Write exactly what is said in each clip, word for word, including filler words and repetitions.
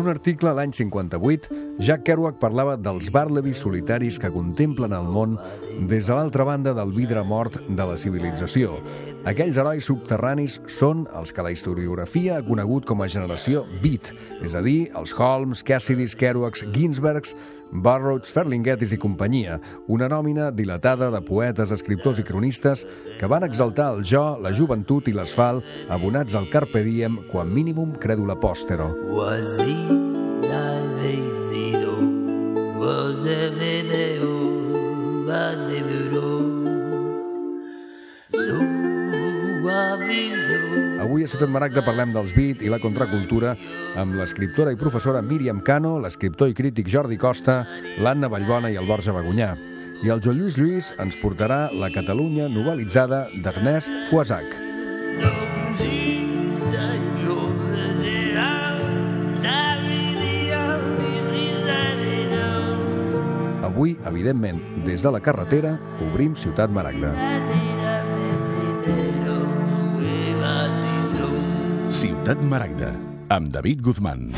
un article l'any cinquanta-vuit, Jack Kerouac parlava dels Bartleby solitaris que contemplen el món des de l'altra banda del vidre mort de la civilització. Aquells herois subterranis són els que la historiografia ha conegut com a generació beat, és a dir, els Holmes, Cassidys, Kerouacs, Ginsbergs, Burroughs, Ferlinghettis i companyia, una nòmina dilatada de poetes, escriptors i cronistes que van exaltar el jo, la joventut i l'asfalt, abonats al carpe diem, quan minimum credula postero. Avui a Ciutat Maragda parlem dels beat i la contracultura amb l'escriptora i professora Míriam Cano, l'escriptor i crític Jordi Costa, l'Anna Vallbona i el Borja Bagunyà. I el Joan Lluís Lluís ens portarà la Catalunya novelitzada d'Ernest Fouazac. Avui, evidentment, des de la carretera, obrim Ciutat Maragda. Ciutat Maragda, amb David Guzmán.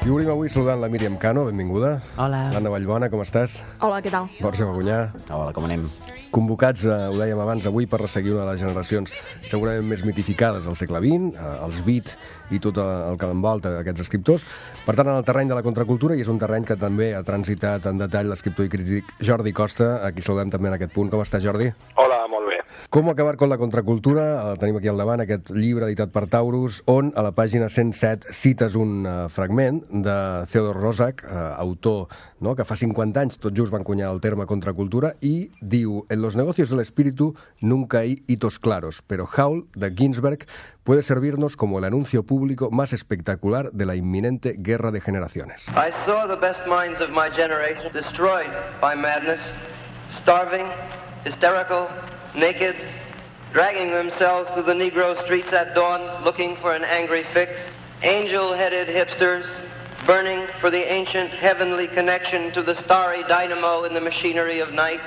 I obrim avui saludant la Míriam Cano, benvinguda. Hola. L'Anna Vallbona, com estàs? Hola, què tal? Borja Bagunyà. Hola, com anem? Convocats, eh, ho dèiem abans, avui per resseguir una de les generacions segurament més mitificades del segle vint, eh, els beat i tot el que l'envolta d'aquests escriptors. Per tant, en el terreny de la contracultura, i és un terreny que també ha transitat en detall l'escriptor i crític Jordi Costa, a qui saludem també en aquest punt. Com està, Jordi? Hola, molt bé. Com acabar con la contracultura? El tenim aquí al davant, aquest llibre editat per Taurus, on a la pàgina cent set cites un uh, fragment de Theodor Roszak, uh, autor, no?, que fa cinquanta anys tot just va encunyar el terme contracultura, i diu: en los negocios del espíritu nunca hay hitos claros, pero Howl, de Ginsberg, puede servirnos como el anuncio público más espectacular de la inminente guerra de generaciones. I saw the best minds of my generation destroyed by madness, starving, hysterical, naked, dragging themselves through the Negro streets at dawn, looking for an angry fix, angel-headed hipsters, burning for the ancient heavenly connection to the starry dynamo in the machinery of night.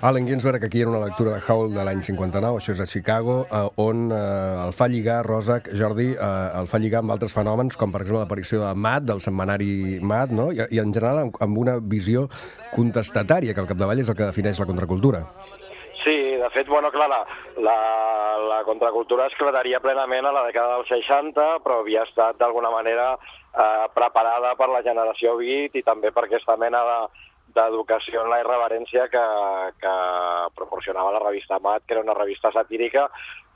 Allen Ginsberg, aquí era una lectura de Howl de l'any cinquanta-nou, això és a Chicago, eh, on eh, el fa lligar, Roszak, Jordi, eh, el fa lligar amb altres fenòmens, com per exemple l'aparició de Mad, del setmanari Mad, no? I, i en general amb, amb una visió contestatària, que al capdavall és el que defineix la contracultura. Sí, de fet, bueno, clar, la, la, la contracultura es clararia plenament a la dècada dels seixanta, però havia estat d'alguna manera eh, preparada per la generació beat i també per aquesta mena de d'educació en la irreverència que, que proporcionava la revista Mad, que era una revista satírica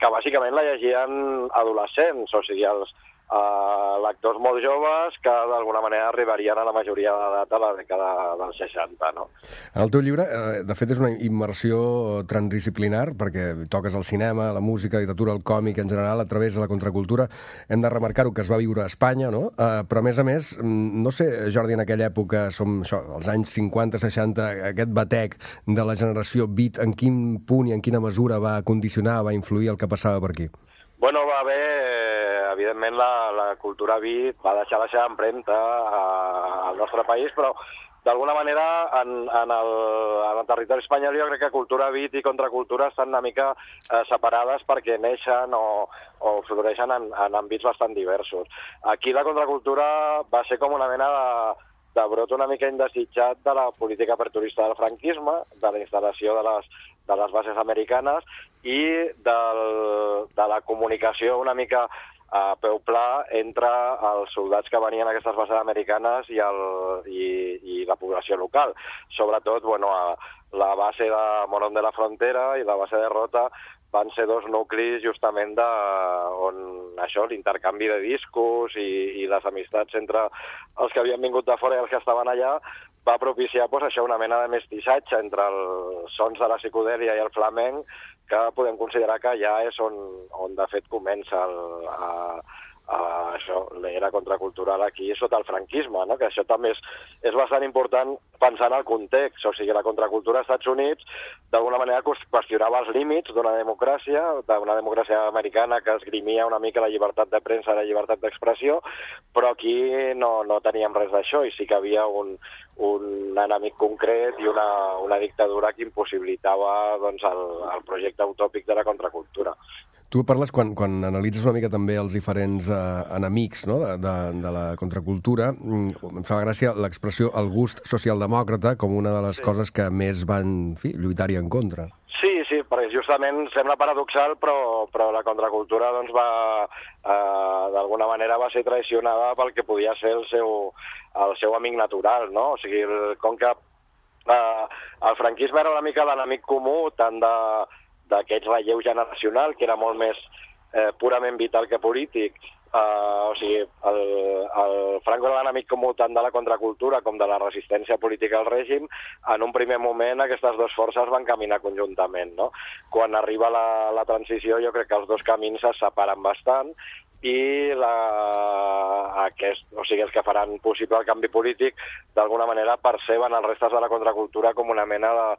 que bàsicament la llegien adolescents, o sigui, els uh, lectors molt joves que d'alguna manera arribarien a la majoria d'edat a la dècada dels seixanta, no? En el teu llibre, eh, de fet, és una immersió transdisciplinar, perquè toques el cinema, la música, la literatura, el còmic en general, a través de la contracultura. Hem de remarcar-ho, que es va viure a Espanya, no? Eh, però, a més a més, no sé, Jordi, en aquella època, som això, els anys cinquanta seixanta, aquest batec de la generació beat, en quin punt i en quina mesura va condicionar, va influir el que passava per aquí? Bueno, va haver, evidentment, la, la cultura beat va deixar la seva empremta a, al nostre país, però d'alguna manera en, en, el, en el territori espanyol jo crec que cultura beat i contracultura estan una mica eh, separades perquè neixen o, o floreixen en, en àmbits bastant diversos. Aquí la contracultura va ser com una mena de de brot una mica indesitjat de la política aperturista del franquisme, de la instal·lació de les, de les bases americanes i del, de la comunicació una mica a peu pla entre els soldats que venien a aquestes bases americanes i, el, i, i la població local. Sobretot, bueno, a la base de Morón de la Frontera i la base de Rota van ser dos nuclis justament de, on això, l'intercanvi de discos i, i les amistats entre els que havien vingut de fora i els que estaven allà va propiciar pues, això, una mena de mestissatge entre els sons de la psicodèlia i el flamenc, que podem considerar que ja és on, on de fet comença el, a, uh, això, l'era contracultural aquí sota el franquisme, no? Que això també és, és bastant important pensar en el context. O sigui, la contracultura als Estats Units d'alguna manera qüestionava els límits d'una democràcia, d'una democràcia americana que esgrimia una mica la llibertat de premsa i la llibertat d'expressió, però aquí no, no teníem res d'això i sí que havia un, un enemic concret i una, una dictadura que impossibilitava doncs, el, el projecte utòpic de la contracultura. Tu parles, quan, quan analitzes una mica també els diferents eh, enemics, no?, de, de, de la contracultura, em fa gràcia l'expressió el gust socialdemòcrata com una de les sí. coses que més van, en fi, lluitar-hi en contra. Sí, sí, perquè justament sembla paradoxal, però, però la contracultura doncs, va, eh, d'alguna manera va ser traicionada pel que podia ser el seu, el seu amic natural, no? O sigui, el, com que eh, el franquisme era una mica l'enemic comú tant de d'aquest relleu generacional, que era molt més eh, purament vital que polític. Uh, o sigui, el, el Franco era l'enemic comú tant de la contracultura com de la resistència política al règim. En un primer moment aquestes dues forces van caminar conjuntament, no? Quan arriba la, la transició jo crec que els dos camins es separen bastant i la, aquest, o sigui, els que faran possible el canvi polític d'alguna manera perceben els restes de la contracultura com una mena de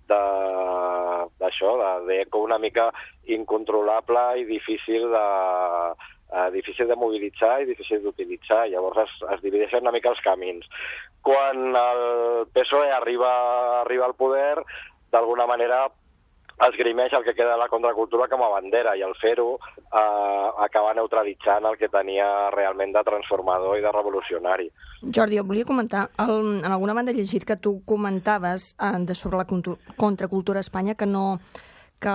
d'això, d'eco una mica incontrolable i difícil de, eh, difícil de mobilitzar i difícil d'utilitzar. Llavors es, es divideixen una mica els camins. Quan el P S O E arriba, arriba al poder, d'alguna manera esgrimeix el que queda de la contracultura com a bandera i al fer-ho eh, acaba neutralitzant el que tenia realment de transformador i de revolucionari. Jordi, jo volia comentar, el, en alguna banda he llegit que tu comentaves eh, de sobre la contracultura a Espanya que no... Que,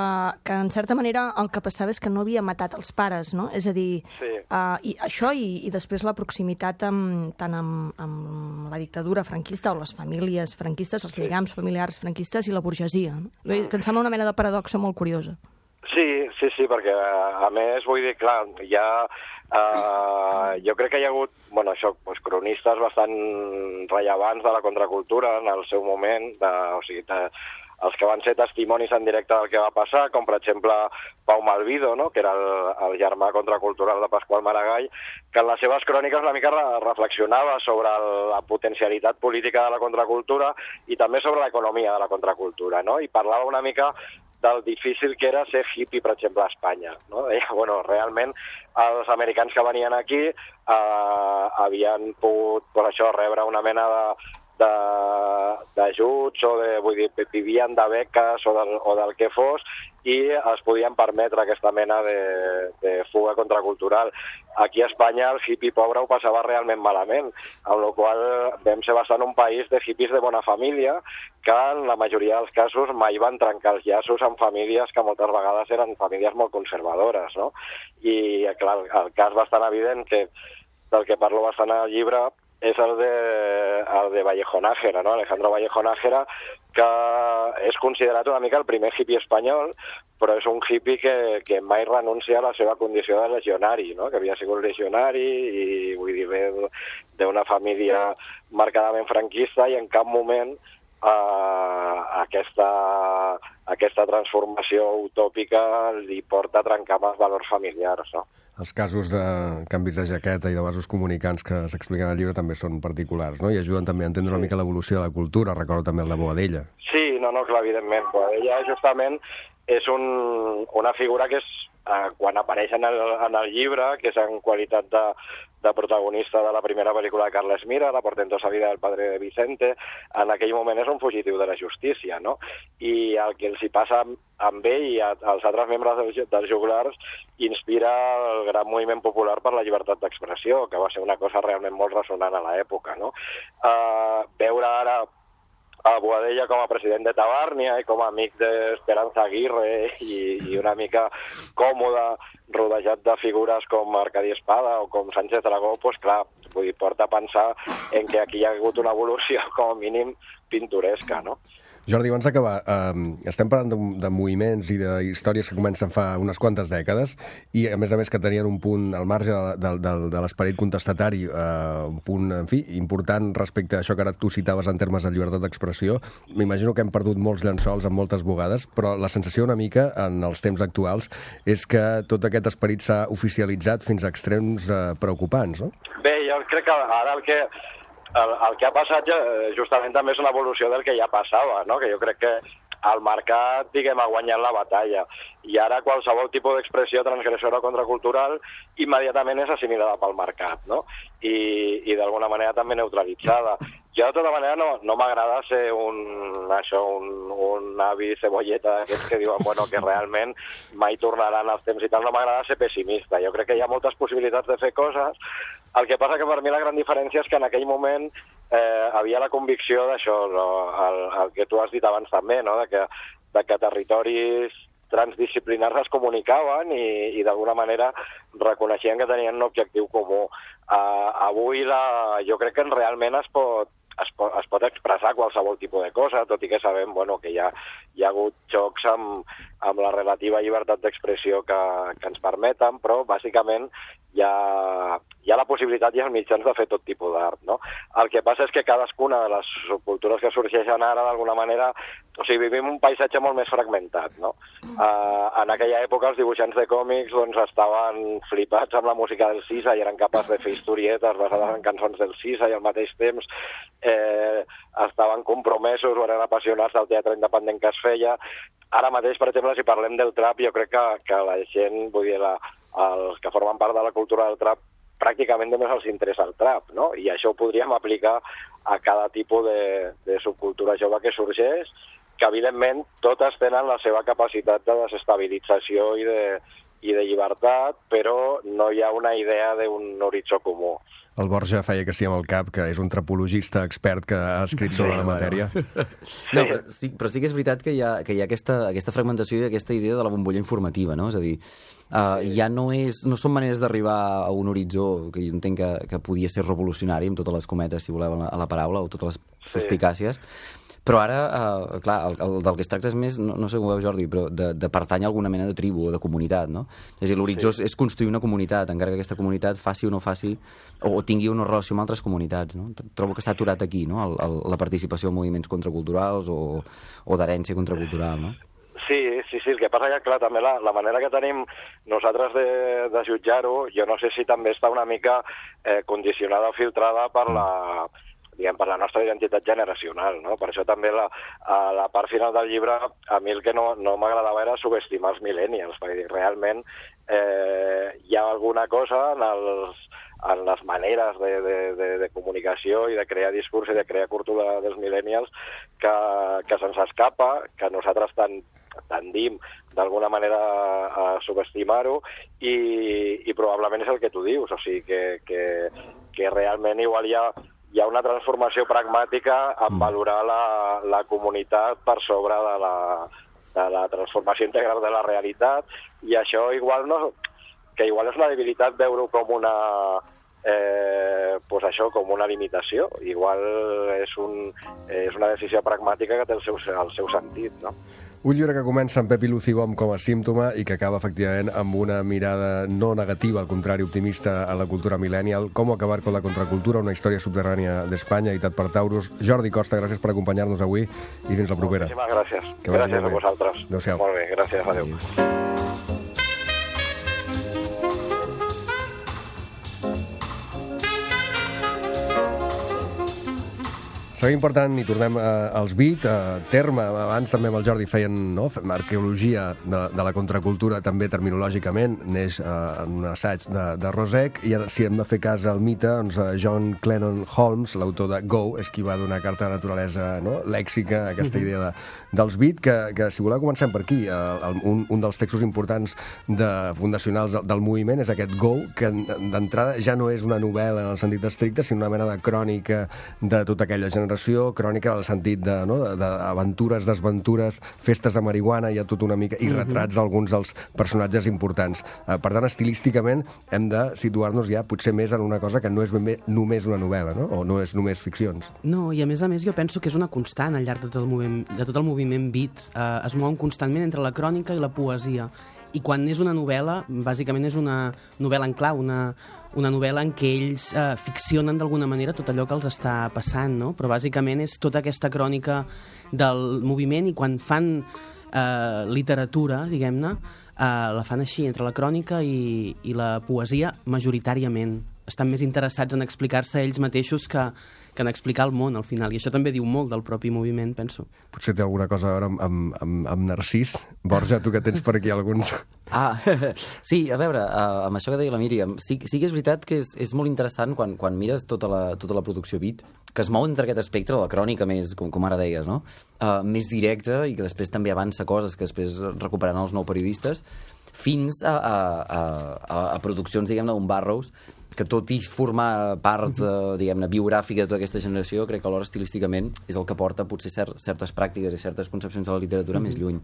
que en certa manera el que passava és que no havia matat els pares, no? És a dir, sí. uh, i això i, i després la proximitat amb, tant amb, amb la dictadura franquista o les famílies franquistes, els lligams sí. familiars franquistes i la burgesia, no? Mm. Que em sembla una mena de paradoxa molt curiosa. Sí, sí, sí, perquè a més, vull dir, clar, hi ha... Uh, jo crec que hi ha hagut, bueno, això, doncs, cronistes bastant rellevants de la contracultura en el seu moment, de, o sigui, de, els que van ser testimonis en directe del que va passar, com per exemple Pau Malvido, no?, que era el, el germà contracultural de Pasqual Maragall, que en les seves cròniques una mica reflexionava sobre el, la potencialitat política de la contracultura i també sobre l'economia de la contracultura, no?, i parlava una mica del difícil que era ser hippie, per exemple, a Espanya, no? Deia, bueno, realment els americans que venien aquí eh, havien pogut, per això, rebre una mena de d'ajuts o de, vull dir, vivien de beques o del, o del que fos i es podien permetre aquesta mena de, de fuga contracultural. Aquí a Espanya el hippie pobre ho passava realment malament, amb la qual vam ser bastant un país de hippies de bona família que en la majoria dels casos mai van trencar els llaços amb famílies que moltes vegades eren famílies molt conservadores, no? I clar, el cas bastant evident que del que parlo bastant al llibre és el de, el de Vallejo Nájera, no? Alejandro Vallejo Nájera, que és considerat una mica el primer hippie espanyol, però és un hippie que, que mai renuncia a la seva condició de legionari, no? Que havia sigut legionari i, vull dir, ve d'una família marcadament franquista i en cap moment eh, aquesta, aquesta transformació utòpica li porta a trencar amb els valors familiars, no? Els casos de canvis de jaqueta i de vasos comunicants que s'expliquen al llibre també són particulars, no? I ajuden també a entendre sí. una mica l'evolució de la cultura. Recordo també el de Boadella. Sí, no, no, clar, evidentment. Boadella justament és un, una figura que és, eh, quan apareix en el, en el llibre, que és en qualitat de, de protagonista de la primera pel·lícula de Carles Mira, La portentosa vida del padre de Vicente, en aquell moment és un fugitiu de la justícia, no? I el que els hi passa amb ell i als altres membres dels, dels joglars inspira el gran moviment popular per la llibertat d'expressió, que va ser una cosa realment molt ressonant a l'època, no? Uh, veure ara a Boadella com a president de Tabàrnia i com a amic d'Esperanza Aguirre i, i una mica còmode, rodejat de figures com Arcadi Espada o com Sánchez Dragó, doncs clar, vull dir, porta a pensar en que aquí hi ha hagut una evolució com a mínim pintoresca, no? Jordi, abans d'acabar, eh, estem parlant de, de moviments i de històries que comencen fa unes quantes dècades i, a més a més, que tenien un punt al marge de, de, de, de l'esperit contestatari, eh, un punt, en fi, important respecte a això que ara tu citaves en termes de llibertat d'expressió. M'imagino que hem perdut molts llençols en moltes bugades, però la sensació una mica, en els temps actuals, és que tot aquest esperit s'ha oficialitzat fins a extrems eh, preocupants, no? Bé, jo crec que ara el que... El, el que ha passat justament també és una evolució del que ja passava, no? Que jo crec que el mercat, diguem, ha guanyat la batalla. I ara qualsevol tipus d'expressió transgressora o contracultural immediatament és assimilada pel mercat, no? I, i d'alguna manera també neutralitzada. Jo, de tota manera, no, no m'agrada ser un, això, un, un avi cebolleta d'aquests que diuen, bueno, que realment mai tornaran els temps i tal. No m'agrada ser pessimista. Jo crec que hi ha moltes possibilitats de fer coses. El que passa que per mi la gran diferència és que en aquell moment eh, havia la convicció d'això, no? el, el que tu has dit abans també, no? de, que, de que territoris transdisciplinars es comunicaven i, i d'alguna manera reconeixien que tenien un objectiu comú. Uh, avui la, jo crec que realment es pot, es pot, es pot expressar qualsevol tipus de cosa, tot i que sabem bueno, que hi ha, hi ha hagut xocs amb, amb la relativa llibertat d'expressió que, que ens permeten, però bàsicament hi ha, hi ha la possibilitat i els mitjans de fer tot tipus d'art, no? El que passa és que cadascuna de les subcultures que sorgeixen ara, d'alguna manera, o sigui, vivim un paisatge molt més fragmentat, no? Uh, en aquella època els dibuixants de còmics doncs, estaven flipats amb la música del Sisa i eren capaços de fer historietes basades en cançons del Sisa i al mateix temps eh, estaven compromesos o eren apassionats del teatre independent que es feia. Ara mateix, per exemple, si parlem del trap, jo crec que, que la gent, vull dir, la, els que formen part de la cultura del trap, pràcticament només els interessa el trap, no? I això ho podríem aplicar a cada tipus de, de subcultura jove que sorgeix, que evidentment totes tenen la seva capacitat de desestabilització i de, i de llibertat, però no hi ha una idea d'un horitzó comú. El Borja feia que sí amb el cap, que és un trapologista expert que ha escrit sobre sí, la matèria. No, però, sí, però sí que és veritat que hi ha, que hi ha aquesta, aquesta fragmentació i aquesta idea de la bombolla informativa, no? És a dir, uh, ja no, és, no són maneres d'arribar a un horitzó que jo entenc que, que podia ser revolucionari, amb totes les cometes, si voleu, a la paraula, o totes les suspicàcies, sí. Però ara, uh, clar, el, el del que es tracta és més, no, no sé com ho veu Jordi, però de, de pertany a alguna mena de tribu o de comunitat, no? És a dir, l'horitzó sí. és construir una comunitat, encara que aquesta comunitat faci o no faci, o, o tingui una relació amb altres comunitats, no? Trobo que està aturat aquí, no?, el, el, la participació en moviments contraculturals o, o d'herència contracultural, no? Sí, sí, sí, el que passa que, clar, també la, la manera que tenim nosaltres de, de jutjar-ho, jo no sé si també està una mica eh, condicionada o filtrada per la... diguem, per la nostra identitat generacional, no? Per això també la, a la part final del llibre, a mi el que no, no m'agradava era subestimar els millennials, perquè realment eh, hi ha alguna cosa en, els, en les maneres de, de, de, de comunicació i de crear discurs i de crear cultura dels millennials que, que se'ns escapa, que nosaltres tant tendim d'alguna manera a subestimar-ho i, i probablement és el que tu dius, o sigui que, que, que realment igual hi ha hi ha una transformació pragmàtica en valorar la, la comunitat per sobre de la, de la transformació integral de la realitat, i això igual no, que igual és una debilitat veure-ho com una eh, pues això, com una limitació, igual és, un, és una decisió pragmàtica que té el seu, el seu sentit, no? Un llibre que comença amb Pepi Lucibom com a símptoma i que acaba, efectivament, amb una mirada no negativa, al contrari, optimista a la cultura millennial. Com acabar con la contracultura, una història subterrània d'Espanya, editat per Taurus. Jordi Costa, gràcies per acompanyar-nos avui i fins la propera. Moltíssimes gràcies. Que gràcies a vosaltres. Adéu-siau. Molt bé, gràcies. Adéu. Seguim, per tant, i tornem eh, als beat, eh, terme, abans també amb el Jordi feien no, arqueologia de, de la contracultura, també terminològicament, neix eh, en un assaig de, de Rosec, i ara, si hem de fer cas al mite, doncs eh, John Clennon Holmes, l'autor de Go, és qui va donar carta de naturalesa no, lèxica a aquesta idea de, dels beat, que, que si voleu comencem per aquí. Eh, el, un, un dels textos importants de, fundacionals del, del moviment és aquest Go, que d'entrada ja no és una novel·la en el sentit estricte, sinó una mena de crònica de tota aquella generació narració crònica en el sentit d'aventures, desventures, festes de marihuana, hi ha tot una mica, i retrats d'alguns dels personatges importants. Per tant, estilísticament, hem de situar-nos ja potser més en una cosa que no és ben bé només una novel·la, no? O no és només ficcions. No, i a més a més jo penso que és una constant al llarg de tot el moviment, de tot el moviment beat. Eh, es mouen constantment entre la crònica i la poesia. I quan és una novel·la, bàsicament és una novel·la en clau, una, una novel·la en què ells eh, ficcionen d'alguna manera tot allò que els està passant, no? Però bàsicament és tota aquesta crònica del moviment i quan fan eh, literatura, diguem-ne, eh, la fan així, entre la crònica i, i la poesia majoritàriament. Estan més interessats en explicar-se ells mateixos que, que en explicar el món, al final. I això també diu molt del propi moviment, penso. Potser té alguna cosa a veure amb, amb, amb, amb Narcís. Borja, tu que tens per aquí alguns... Ah, sí, a veure, uh, amb això que deia la Míriam, sí, sí que és veritat que és, és molt interessant quan, quan mires tota la, tota la producció beat, que es mou entre aquest espectre, la crònica més, com, com ara deies, no? Uh, més directa i que després també avança coses que després recuperaran els nou periodistes, fins a, a, a, a, a produccions, diguem-ne, d'un Burroughs, que tot i formar part, eh, diguem-ne, biogràfica de tota aquesta generació, crec que alhora estilísticament és el que porta potser cert, certes pràctiques i certes concepcions de la literatura mm-hmm. més lluny.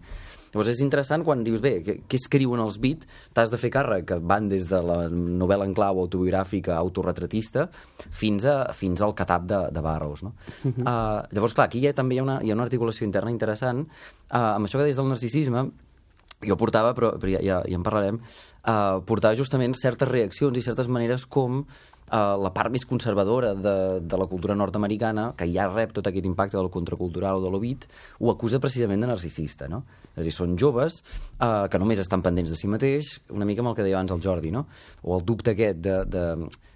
Llavors és interessant quan dius, bé, què, què escriuen els beat? T'has de fer càrrec, que van des de la novel·la en clau autobiogràfica, autorretratista, fins, a, fins al catap de, de Burroughs, no? Mm-hmm. Uh, llavors, clar, aquí hi ha, també hi ha, una, hi ha una articulació interna interessant. Uh, amb això que deies del narcisisme, jo portava, però, però ja, ja, ja en parlarem, uh, portava justament certes reaccions i certes maneres com uh, la part més conservadora de, de la cultura nord-americana, que ja rep tot aquest impacte del contracultural o de l'obit, ho acusa precisament de narcisista, no? És a dir, són joves uh, que només estan pendents de si mateix, una mica amb el que deia abans el Jordi, no? O el dubte aquest de... de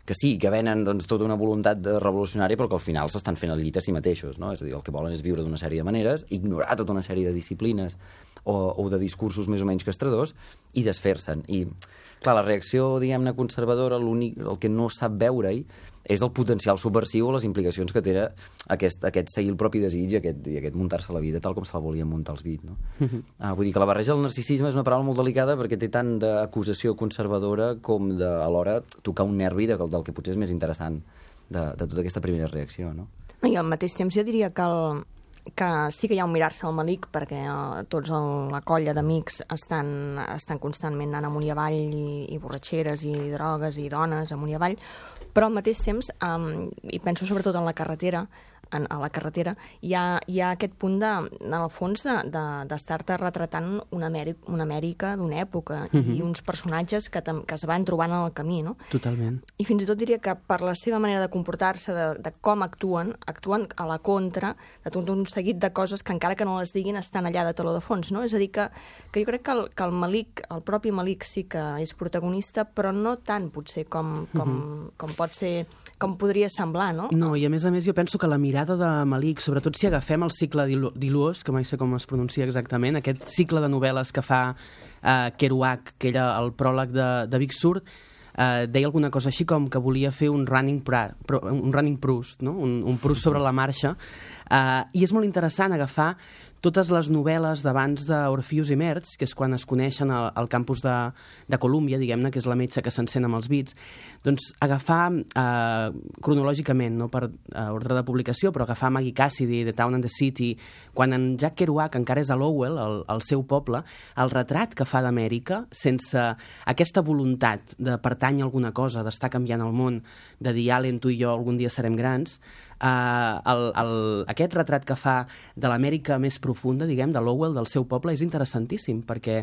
que sí, que venen doncs, tota una voluntat de revolucionària, però que al final s'estan fent el llit a si mateixos, no? És a dir, el que volen és viure d'una sèrie de maneres, ignorar tota una sèrie de disciplines o, o de discursos més o menys castradors i desfer-se'n. I, clar, la reacció, diguem-ne, conservadora, l'únic, el que no sap veure-hi és el potencial subversiu o les implicacions que té aquest, aquest seguir el propi desig i aquest, i aquest muntar-se la vida tal com se la volien muntar els beat, no? Uh-huh. ah, vull dir que la barreja del narcisisme és una paraula molt delicada perquè té tant d'acusació conservadora com de, alhora, tocar un nervi de, del que potser és més interessant de, de tota aquesta primera reacció, no? I al mateix temps jo diria que el, que sí que hi ha un mirar-se al Malik perquè uh, tots el, la colla d'amics estan, estan constantment anant amunt i avall i, i borratxeres i drogues i dones amunt i avall, però al mateix temps, um, i penso sobretot en la carretera, en, a la carretera, hi ha, hi ha aquest punt, de, en el fons, d'estar-te de, de retratant una Amèrica, una Amèrica d'una època mm-hmm. i uns personatges que, que es van trobant en el camí, no? Totalment. I fins i tot diria que per la seva manera de comportar-se, de, de com actuen, actuen a la contra de tot un seguit de coses que encara que no les diguin estan allà de taló de fons, no? És a dir, que, que jo crec que el, que el Malik, el propi Malik sí que és protagonista, però no tant potser com, com, mm-hmm. com pot ser, com podria semblar, no? No, i a més a més jo penso que la mirada de Malik, sobretot si agafem el cicle d'Iluos, que mai sé com es pronuncia exactament, aquest cicle de novel·les que fa eh, Kerouac, que era el pròleg de, de Big Sur, eh, deia alguna cosa així com que volia fer un running, pra, un running Proust, no? un, un Proust sobre la marxa, eh, i és molt interessant agafar totes les novel·les d'abans d'Orpheus i Merch, que és quan es coneixen al, al campus de, de Colúmbia, diguem-ne, que és la metge que s'encén amb els beats, doncs agafar eh, cronològicament, no per eh, ordre de publicació, però agafar Maggie Cassidy, The Town and the City, quan en Jack Kerouac encara és a Lowell, el, el seu poble, el retrat que fa d'Amèrica, sense aquesta voluntat de pertànyer a alguna cosa, d'estar canviant el món, de dir, Allen, tu i jo algun dia serem grans, Uh, el, el, aquest retrat que fa de l'Amèrica més profunda, diguem, de Lowell, del seu poble, és interessantíssim, perquè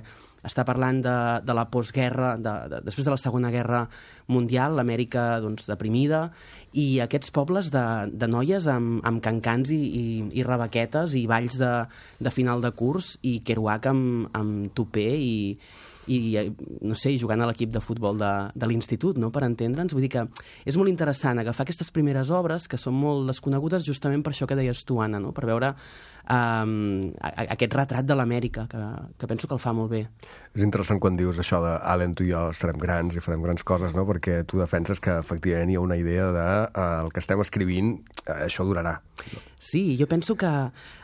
està parlant de, de la postguerra, de, de, després de la Segona Guerra Mundial, l'Amèrica doncs, deprimida, i aquests pobles de, de noies amb, amb cancans i, i, i rebequetes i balls de, de final de curs, i Kerouac amb, amb tupé i, i, no sé, jugant a l'equip de futbol de, de l'institut, no?, per entendre'ns. Vull dir que és molt interessant agafar aquestes primeres obres, que són molt desconegudes justament per això que deies tu, Anna, no?, per veure um, aquest retrat de l'Amèrica, que, que penso que el fa molt bé. És interessant quan dius això de Allen, tu i jo serem grans i farem grans coses, no? Perquè tu defenses que efectivament hi ha una idea de eh, el que estem escrivint, eh, això durarà. Sí, jo penso que...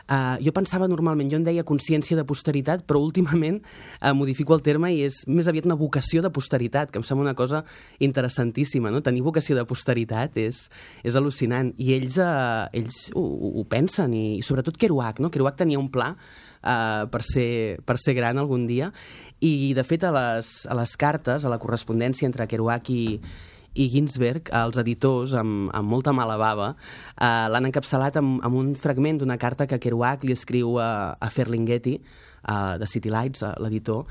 Uh, jo pensava normalment, jo en deia consciència de posteritat, però últimament uh, modifico el terme i és més aviat una vocació de posteritat, que em sembla una cosa interessantíssima, no? Tenir vocació de posteritat és, és al·lucinant. I ells, uh, ells ho, ho pensen, i, i sobretot Kerouac, no? Kerouac tenia un pla uh, per, ser, per ser gran algun dia, i de fet a les, a les cartes, a la correspondència entre Kerouac i i Ginsberg, els editors, amb, amb molta mala bava, eh, l'han encapçalat amb, amb un fragment d'una carta que Kerouac li escriu a, a Ferlinghetti, uh, de City Lights, l'editor,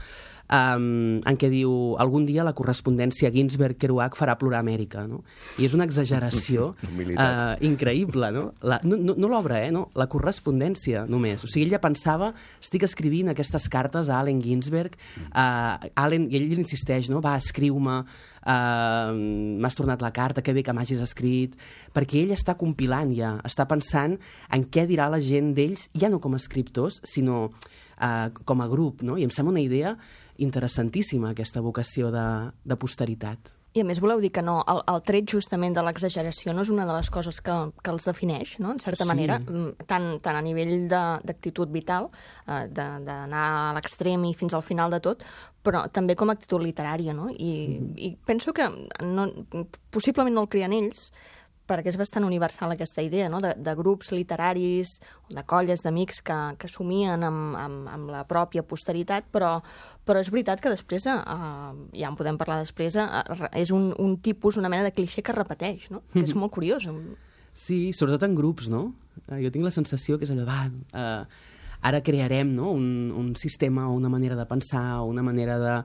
um, en què diu algun dia la correspondència Ginsberg-Kerouac farà plorar Amèrica, no? I és una exageració uh, increïble, no? La, no no, no l'obra, eh? No? La correspondència, només. O sigui, ella pensava, estic escrivint aquestes cartes a Allen Ginsberg, uh, Allen, i ell insisteix, no? Va, escriu-me, Uh, m'has tornat la carta, que bé que m'hagis escrit, perquè ell està compilant ja, està pensant en què dirà la gent d'ells, ja no com a escriptors, sinó uh, com a grup, no? I em sembla una idea interessantíssima, aquesta vocació de, de posteritat. I a més voleu dir que no, el, el tret justament de l'exageració no és una de les coses que, que els defineix, no? En certa Sí. manera, tant, tant a nivell de- d'actitud vital, eh, de- d'anar a l'extrem i fins al final de tot, però també com a actitud literària, no? I, mm. i penso que no, possiblement no el creen ells, perquè és bastant universal aquesta idea, no? de, de grups literaris, de colles d'amics que, que somien amb, amb, amb la pròpia posteritat, però, però és veritat que després, eh, ja en podem parlar després, eh, és un, un tipus, una mena de clixé que es repeteix, no? Que és molt curiós. Sí, sobretot en grups, no? Eh, Jo tinc la sensació que és allò, va, eh, ara crearem, no? un, un sistema o una manera de pensar o una manera de,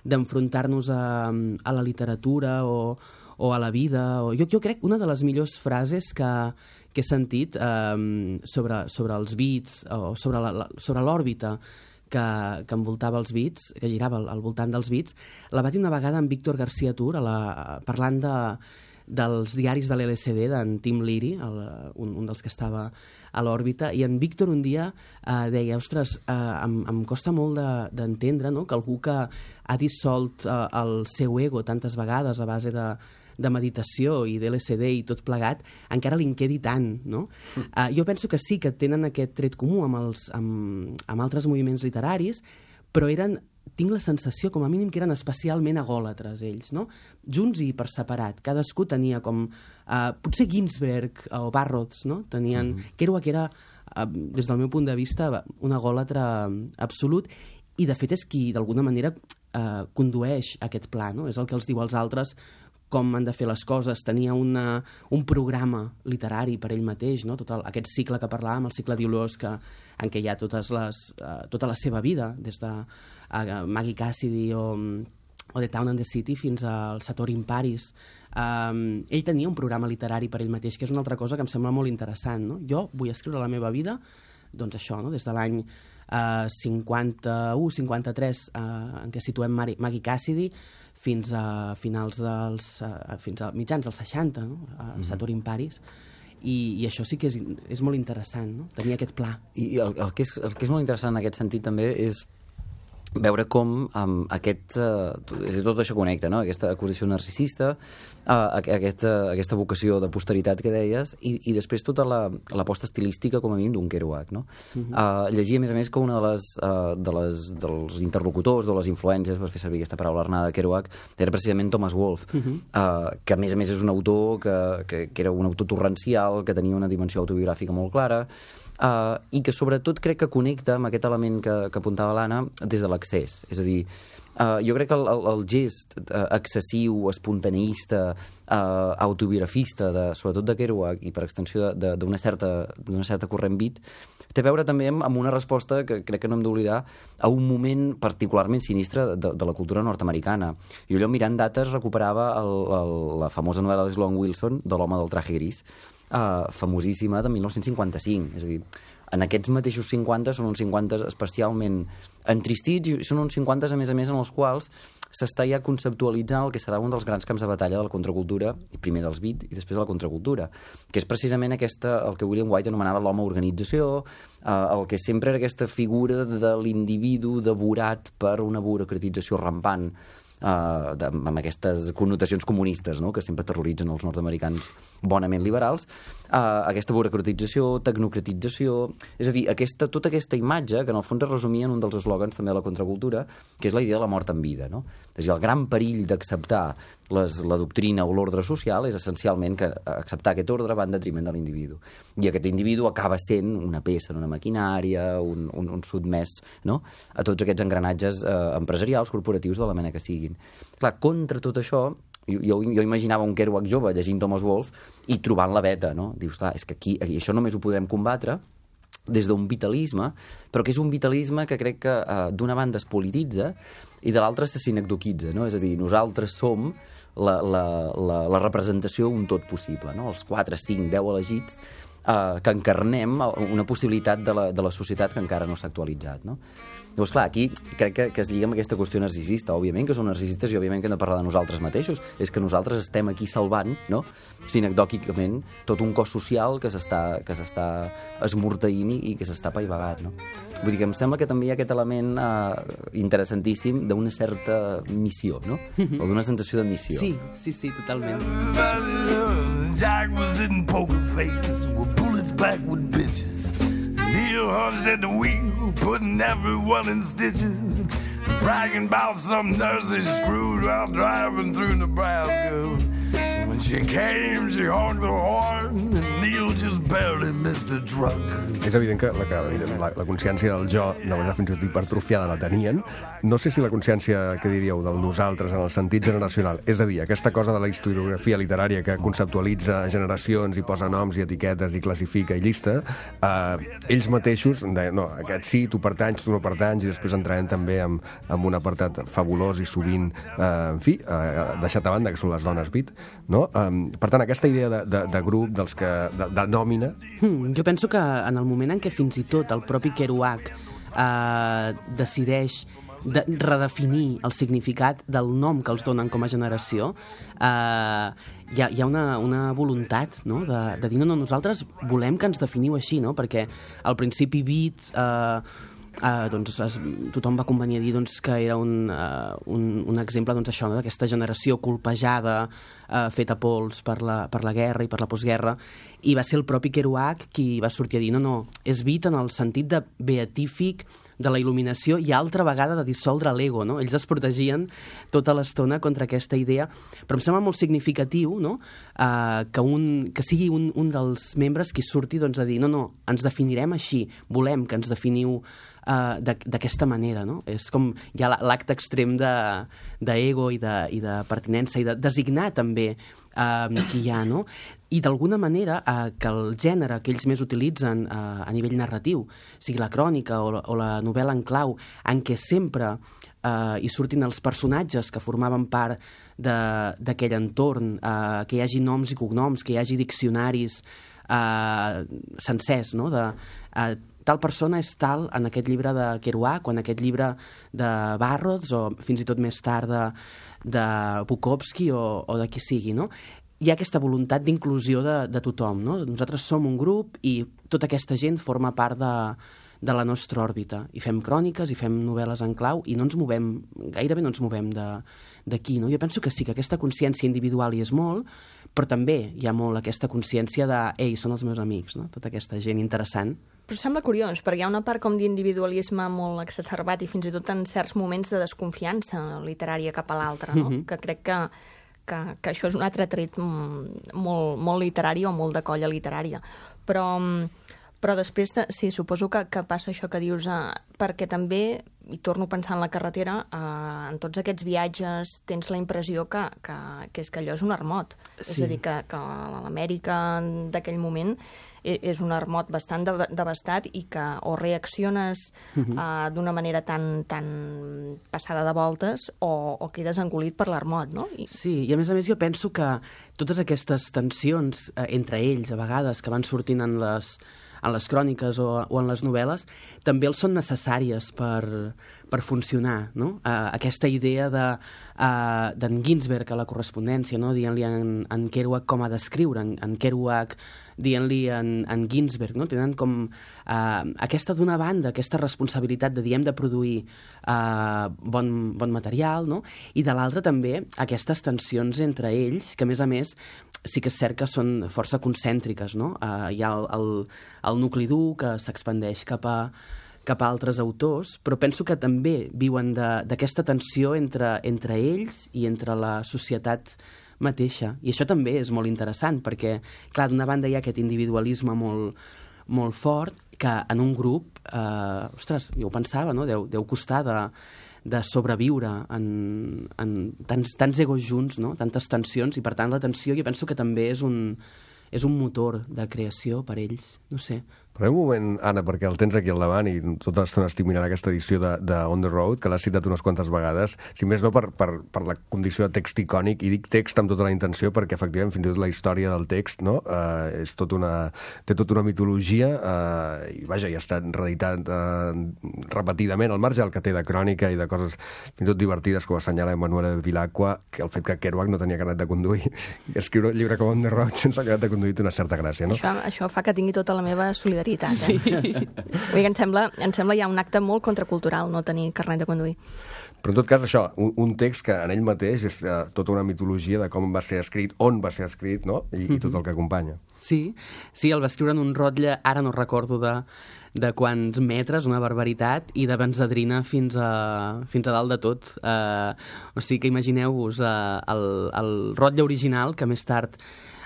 d'enfrontar-nos a, a la literatura o, o a la vida. O... Jo, jo crec que una de les millors frases que, que he sentit eh, sobre, sobre els bits o sobre, la, la, sobre l'òrbita que, que envoltava els bits, que girava al, al voltant dels bits, la va dir una vegada en Víctor García Tur, a la, parlant de, dels diaris de l'L S D, d'en Tim Leary, el, un, un dels que estava a l'òrbita, i en Víctor un dia eh, deia, ostres, eh, em, em costa molt de, d'entendre, no?, que algú que ha dissolt eh, el seu ego tantes vegades a base de, de meditació i de L S D i tot plegat, encara li en quedi tant, no? Mm. Uh, jo penso que sí que tenen aquest tret comú amb, els, amb, amb altres moviments literaris, però eren, tinc la sensació, com a mínim, que eren especialment agòlatres, ells, no? Junts i per separat. Cadascú tenia com... Uh, potser Ginsberg o Barrows, no? Tenien... Mm-hmm. Kerouac era, uh, des del meu punt de vista, un agòlatre absolut, i de fet és qui, d'alguna manera, uh, condueix aquest pla, no? És el que els diu als altres com han de fer les coses. Tenia una, un programa literari per ell mateix, no? Tot el, aquest cicle que parlàvem, el cicle d'Iulós, que, en què hi ha totes les, uh, tota la seva vida, des de uh, Maggie Cassidy o, o The Town and the City fins al Satori in Paris. Um, ell tenia un programa literari per ell mateix, que és una altra cosa que em sembla molt interessant, no? Jo vull escriure la meva vida, doncs això, no? Des de l'any uh, cinquanta-u cinquanta-tres, uh, en què situem Mari, Maggie Cassidy, fins a finals dels... Uh, fins a mitjans dels seixanta, no? A mm-hmm. Satori in Paris. I, i això sí que és, és molt interessant, no? Tenir aquest pla. I el, el, que és, el que és molt interessant en aquest sentit també és veure com um, aquest, uh, és a dir, tot això connecta, no? Aquesta acusació narcisista, uh, aquesta, aquesta vocació de posteritat que deies, i, i després tota la, l'aposta estilística, com a mínim, d'un Kerouac, no? Uh-huh. Uh, llegia, a més a més, que una de les, uh, de les, dels interlocutors, de les influències, per fer servir aquesta paraula arnada de Kerouac, era precisament Thomas Wolfe, uh-huh. uh, que a més a més és un autor que, que, que era un autor torrencial, que tenia una dimensió autobiogràfica molt clara, Uh, i que sobretot crec que connecta amb aquest element que, que apuntava l'Anna des de l'accés. És a dir, uh, jo crec que el, el, el gest uh, excessiu, espontaneista, uh, autobiografista, de, sobretot de Kerouac i per extensió d'una certa, d'una certa corrent beat, té a veure també amb, amb una resposta que crec que no hem d'oblidar a un moment particularment sinistre de, de la cultura nord-americana. Jo allò mirant dates recuperava el, el, la famosa novel·la de Sloan Wilson, de l'home del traje gris, Uh, famosíssima, de dinou cinquanta-cinc. És a dir, en aquests mateixos cinquanta són uns cinquanta especialment entristits i són uns cinquanta, a més a més, en els quals s'està ja conceptualitzant el que serà un dels grans camps de batalla de la contracultura, primer dels beat i després de la contracultura, que és precisament aquesta, el que William White anomenava l'home organització, eh, el que sempre era aquesta figura de l'individu devorat per una burocratització rampant, Uh, de, amb aquestes connotacions comunistes, no?, que sempre terroritzen els nord-americans bonament liberals, uh, aquesta burocratització, tecnocratització, és a dir, aquesta, tota aquesta imatge que en el fons es resumia en un dels eslògans també de la contracultura, que és la idea de la mort en vida, no? És a dir, el gran perill d'acceptar les, la doctrina o l'ordre social és essencialment que acceptar aquest ordre va en detriment de l'individu. I aquest individu acaba sent una peça en una maquinària, un, un, un sotmès, no?, a tots aquests engranatges eh, empresarials, corporatius, de la mena que siguin. Clar, contra tot això, jo, jo, jo imaginava un Kerouac jove llegint Thomas Wolfe i trobant la veta, no? Dius, clar, és que aquí, aquí això només ho podrem combatre des d'un vitalisme, però que és un vitalisme que crec que eh, d'una banda es polititza i de l'altra se sinecdoquitza, no? És a dir, nosaltres som la, la, la, la representació d'un tot possible, no? Els quatre, cinc, deu elegits eh, que encarnem una possibilitat de la, de la societat que encara no s'ha actualitzat, no? Llavors, clar, aquí crec que, que es lliga amb aquesta qüestió narcisista. Òbviament que són narcisistes i òbviament que hem de parlar de nosaltres mateixos. És que nosaltres estem aquí salvant, no?, sinecdòquicament, tot un cos social que s'està que s'està esmorteint i que s'està paivagant, no? Vull dir que em sembla que també hi ha aquest element eh, interessantíssim d'una certa missió, no? O d'una sensació de missió. Sí, sí, sí, totalment. Jack was in poker face with bullets back with bitches. Neil hunched at the wheel, putting everyone in stitches, bragging about some nurses screwed while driving through Nebraska. So when she came, she honked the horn, and Neil just barely missed the truck. És evident que la, la, la consciència del jo, de manera fins i tot hipertrofiada, la tenien. No sé si la consciència, que diríeu, del nosaltres en el sentit generacional, és a dir, aquesta cosa de la historiografia literària que conceptualitza generacions i posa noms i etiquetes i classifica i llista, eh, ells mateixos deien, no, aquest sí, tu pertanys, tu no pertanys, i després entrarem també amb, amb un apartat fabulós i sovint, eh, en fi, eh, deixat a banda, que són les dones beat, no? Eh, per tant, aquesta idea de, de, de grup, dels que, de, de nòmina... Hmm, jo penso que en el moment en què fins i tot el propi Kerouac eh, decideix de redefinir el significat del nom que els donen com a generació, eh, hi ha, hi ha una, una voluntat, no?, de, de dir, no, no, nosaltres volem que ens definiu així, no?, perquè al principi beat... Eh, Uh, doncs es, tothom va convenir a dir doncs, que era un, uh, un, un exemple doncs, això, no? D'aquesta generació colpejada, uh, feta pols per la, per la guerra i per la postguerra, i va ser el propi Kerouac qui va sortir a dir no, no, és beat en el sentit de beatífic de la il·luminació i altra vegada de dissoldre l'ego, no? Ells es protegien tota l'estona contra aquesta idea, però em sembla molt significatiu, no?, uh, que, un, que sigui un, un dels membres qui surti doncs, a dir no, no, ens definirem així, volem que ens definiu Uh, d'aquesta manera, no? És com hi ha l'acte extrem d'ego de, i, de, i de pertinença i de designar també uh, qui hi ha, no? I d'alguna manera uh, que el gènere que ells més utilitzen uh, a nivell narratiu, sigui la crònica o la, o la novel·la en clau, en què sempre uh, hi surtin els personatges que formaven part d'aquell entorn, uh, que hi hagi noms i cognoms, que hi hagi diccionaris uh, sencers, no?, de... Uh, tal persona és tal en aquest llibre de Kerouac o en aquest llibre de Barrows o fins i tot més tard de, de Bukowski o, o de qui sigui, no? Hi ha aquesta voluntat d'inclusió de, de tothom, no? Nosaltres som un grup i tota aquesta gent forma part de, de la nostra òrbita i fem cròniques i fem novel·les en clau i no ens movem, gairebé no ens movem d'aquí, no? Jo penso que sí, que aquesta consciència individual hi és molt, però també hi ha molt aquesta consciència de ei, són els meus amics, no? Tota aquesta gent interessant. Però sembla curiós, perquè hi ha una part com d'individualisme molt exacerbat i fins i tot en certs moments de desconfiança literària cap a l'altre, no? Mm-hmm. Que crec que, que, que això és un altre tret molt, molt literari o molt de colla literària. Però, però després, sí, suposo que, que passa això que dius, eh, perquè també, i torno a pensar en la carretera, eh, en tots aquests viatges tens la impressió que, que, que és que allò és un armot. Sí. És a dir, que, que l'Amèrica d'aquell moment és un armot bastant devastat i que o reacciones uh-huh. uh, d'una manera tan, tan passada de voltes o, o quedes engolit per l'armot, no? I... Sí, i a més a més jo penso que totes aquestes tensions eh, entre ells, a vegades, que van sortint en les, en les cròniques o, o en les novel·les, també els són necessàries per, per funcionar, no? Uh, aquesta idea de, uh, d'en Ginsberg a la correspondència, no? Dient-li en, en Kerouac com ha d'escriure, en, en Kerouac dient-li en, en Ginsberg, no? Tenen com uh, aquesta d'una banda, aquesta responsabilitat de, diem, de produir uh, bon, bon material, no? I de l'altra també aquestes tensions entre ells, que a més a més sí que és cert que són força concèntriques, no? Uh, hi ha el, el, el nucli dur que s'expandeix cap a, cap a altres autors, però penso que també viuen d'aquesta tensió entre, entre ells i entre la societat mateixa. I això també és molt interessant, perquè, clar, d'una banda hi ha aquest individualisme molt, molt fort, que en un grup, eh, ostres, jo ho pensava, no? Deu, deu costar de, de sobreviure en, en tants, tants egos junts, no? Tantes tensions, i per tant la tensió jo penso que també és un, és un motor de creació per ells, no sé. Però un moment, Anna, perquè el tens aquí al davant i tota l'estona estic mirant aquesta edició de, de On the Road, que l'has citat unes quantes vegades, si més no per, per, per la condició de text icònic, i dic text amb tota la intenció perquè efectivament fins i tot la història del text, no? Eh, és tot una, té tota una mitologia eh, i vaja, ja ha estat reeditat eh, repetidament, al marge del que té de crònica i de coses fins i tot divertides, com assenyala Emmanuel Vilacqua, que el fet que Kerouac no tenia carnet de conduir i escriure un llibre com On the Road sense carnet de conduir té una certa gràcia, no? Això, això fa que tingui tota la meva solidaritat. Sí. Eh? Vull dir que em sembla, em sembla ja un acte molt contracultural no tenir carnet de conduir. Però en tot cas això, un, un text que en ell mateix és uh, tota una mitologia de com va ser escrit, on va ser escrit, no? I, mm-hmm. i tot el que acompanya. Sí, sí, el va escriure en un rotlle, ara no recordo de, de quants metres, una barbaritat, i de benzedrina fins a, fins a dalt de tot. Uh, o sigui que imagineu-vos uh, el, el rotlle original, que més tard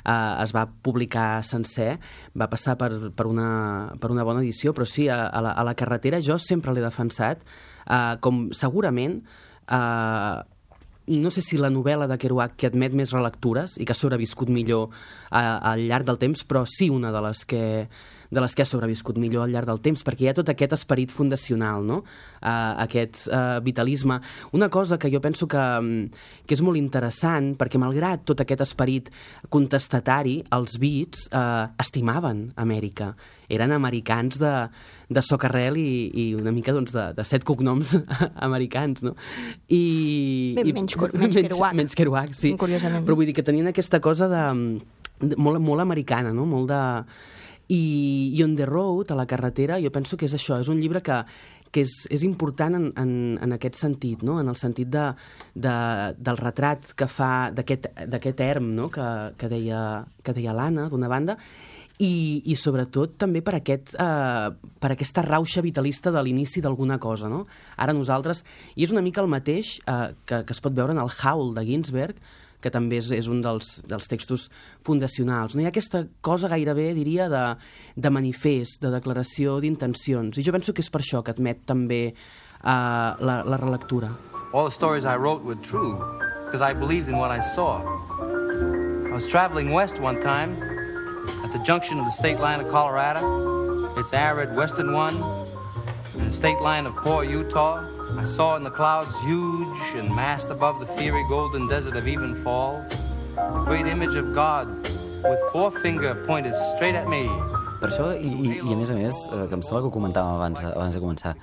Uh, es va publicar sencer, va passar per, per, una, per una bona edició, però sí, a, a, la, a la carretera jo sempre l'he defensat uh, com segurament uh, no sé si la novel·la de Kerouac que admet més relectures i que ha sobreviscut millor uh, al llarg del temps, però sí una de les que de les que ha sobreviscut millor al llarg del temps, perquè hi ha tot aquest esperit fundacional, no? Uh, aquest uh, vitalisme. Una cosa que jo penso que, que és molt interessant, perquè malgrat tot aquest esperit contestatari, els Beats uh, estimaven Amèrica. Eren americans de, de socarrel i, i una mica doncs, de, de set cognoms americans, no? I, Bé, i, menys, menys Kerouac. Menys Kerouac, sí. Curiosament. Però vull dir que tenien aquesta cosa de, de molt, molt americana, no? Molt de... I, i On the Road, a la carretera, jo penso que és això, és un llibre que, que és, és important en, en, en aquest sentit, no? En el sentit de, de, del retrat que fa d'aquest erm, no? que, que deia, que deia l'Anna, d'una banda, i, i sobretot també per, aquest, eh, per aquesta rauxa vitalista de l'inici d'alguna cosa. No? Ara nosaltres, i és una mica el mateix eh, que, que es pot veure en el Howl de Ginsberg, que també és, és un dels, dels textos fundacionals. No? Hi ha aquesta cosa gairebé, diria, de, de manifest, de declaració d'intencions. I jo penso que és per això que admet també uh, la, la relectura. All the stories I wrote were true, because I believed in what I saw. I was traveling west one time, at the junction of the state line of Colorado, its arid western one, and the state line of poor Utah. I saw in the clouds, huge and massed above the fiery golden desert of Evenfall, the great image of God with forefinger pointed straight at me. Per això, i, i, i a més a més, eh, que em sembla que ho comentàvem abans, abans de començar,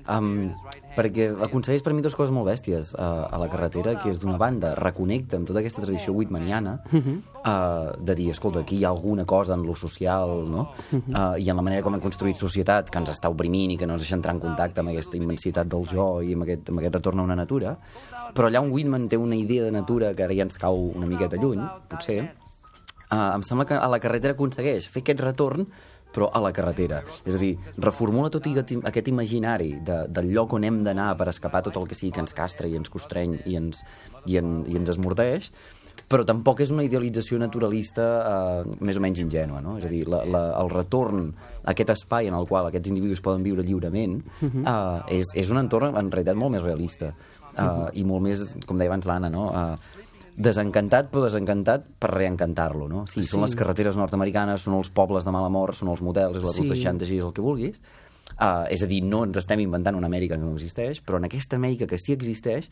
um, perquè aconsegueix per mi dues coses molt bèsties uh, a la carretera, que és d'una banda, reconnecta amb tota aquesta tradició whitmaniana, uh, de dir, escolta, aquí hi ha alguna cosa en lo social, no? Uh, i en la manera com hem construït societat, que ens està oprimint i que no ens deixa entrar en contacte amb aquesta immensitat del jo i amb aquest, amb aquest retorn a una natura. Però allà on Whitman té una idea de natura que ara ja ens cau una miqueta lluny, potser, uh, em sembla que a la carretera aconsegueix fer aquest retorn però a la carretera. És a dir, reformula tot aquest imaginari de, del lloc on hem d'anar per escapar tot el que sigui que ens castra i ens constreny i ens, i en, i ens esmordeix, però tampoc és una idealització naturalista eh, més o menys ingènua, no? És a dir, la, la, el retorn a aquest espai en el qual aquests individus poden viure lliurement eh, és, és un entorn en realitat molt més realista eh, i molt més, com deia abans l'Anna, no? Eh, desencantat, però desencantat per reencantar-lo, no? Sí, són sí. Les carreteres nord-americanes, són els pobles de mala mort, són els motels, és la ruta sí. seixanta sis, el que vulguis. Uh, és a dir, no ens estem inventant una Amèrica que no existeix, però en aquesta Amèrica que sí existeix,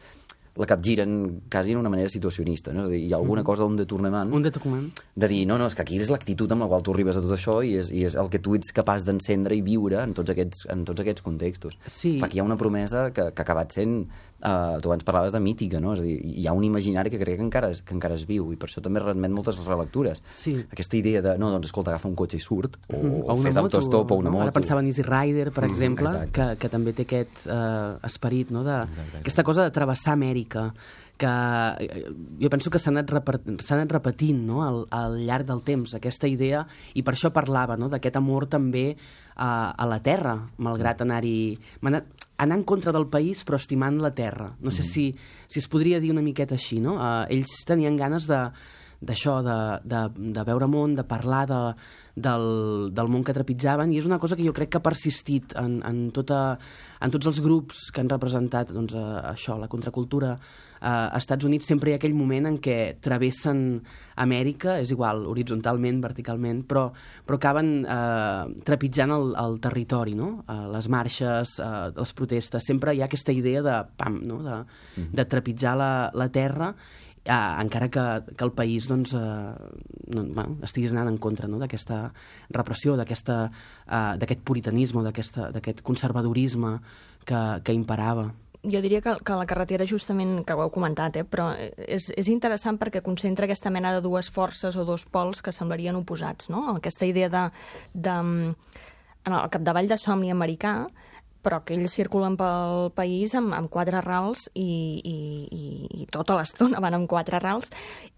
la capgiren quasi d'una manera situacionista, no? És a dir, hi ha alguna cosa, un detornament, Un detornament. de dir, no, no, és que aquí és l'actitud amb la qual tu arribes a tot això i és, i és el que tu ets capaç d'encendre i viure en tots aquests, en tots aquests contextos. Sí. Perquè hi ha una promesa que, que ha acabat sent, uh, tu abans parlaves de mítica, no? És a dir, hi ha un imaginari que crec que encara, es, que encara es viu, i per això també remet moltes relectures. Sí. Aquesta idea de, no, doncs escolta, agafa un cotxe i surt, o, Mhm. o fes autostop o una no? moto. Ara pensava en Easy Rider, per Mhm, exemple, exacte. que, que també té aquest eh, esperit, no? de, Exacte, exacte. aquesta cosa de travessar Amèrica, que eh, jo penso que s'ha anat, repar- s'ha anat repetint, no? al, al llarg del temps, aquesta idea, i per això parlava, no? d'aquest amor també a, a la terra, malgrat anar-hi... Anar, anar en contra del país, però estimant la terra. No sé si, si es podria dir una miqueta així, no? Uh, ells tenien ganes de d'això, de, de, de veure món, de parlar de, del, del món que trepitjaven, i és una cosa que jo crec que ha persistit en, en, tota, en tots els grups que han representat doncs, uh, això, la contracultura uh, als Estats Units. Sempre hi ha aquell moment en què travessen Amèrica, és igual, horitzontalment, verticalment, però, però acaben eh, trepitjant el, el territori, no? Eh, les marxes, eh, les protestes, sempre hi ha aquesta idea de, pam, no? de, de trepitjar la, la terra, eh, encara que, que el país doncs, eh, no, bueno, estiguis anant en contra, no? d'aquesta repressió, d'aquesta, eh, d'aquest puritanisme, d'aquesta- d'aquest conservadorisme que, que imperava. Jo diria que, que la carretera, justament, que ho heu comentat, eh, però és, és interessant perquè concentra aquesta mena de dues forces o dos pols que semblarien oposats, no? Aquesta idea de, de en el capdavall de somni americà, però que ells circulen pel país amb, amb quatre rals i, i, i, i tota l'estona van amb quatre rals,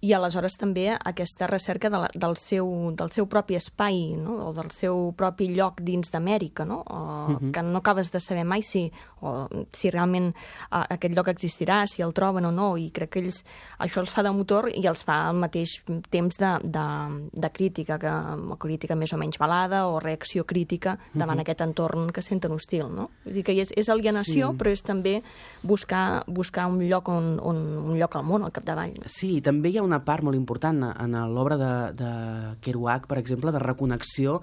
i aleshores també aquesta recerca de la, del, seu, del seu propi espai, no? O del seu propi lloc dins d'Amèrica, no? O, uh-huh. que no acabes de saber mai si, o, si realment uh, aquest lloc existirà, si el troben o no, i crec que ells això els fa de motor i els fa al mateix temps de, de, de crítica, que, crítica més o menys balada o reacció crítica davant uh-huh. aquest entorn que senten hostil, no? Vull dir que és, és alienació, sí. però és també buscar, buscar un lloc on, on, un lloc al món, al capdavall. Sí, també hi ha una part molt important en l'obra de, de Kerouac, per exemple, de reconnexió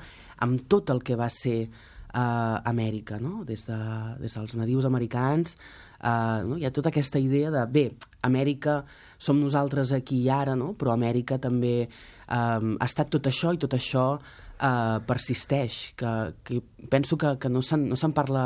amb tot el que va ser uh, Amèrica, no? Des, de, des dels nadius americans. Uh, no? Hi ha tota aquesta idea de, bé, Amèrica som nosaltres aquí i ara, no? Però Amèrica també um, ha estat tot això, i tot això uh, persisteix, que, que penso que, que no se'n no se'n parla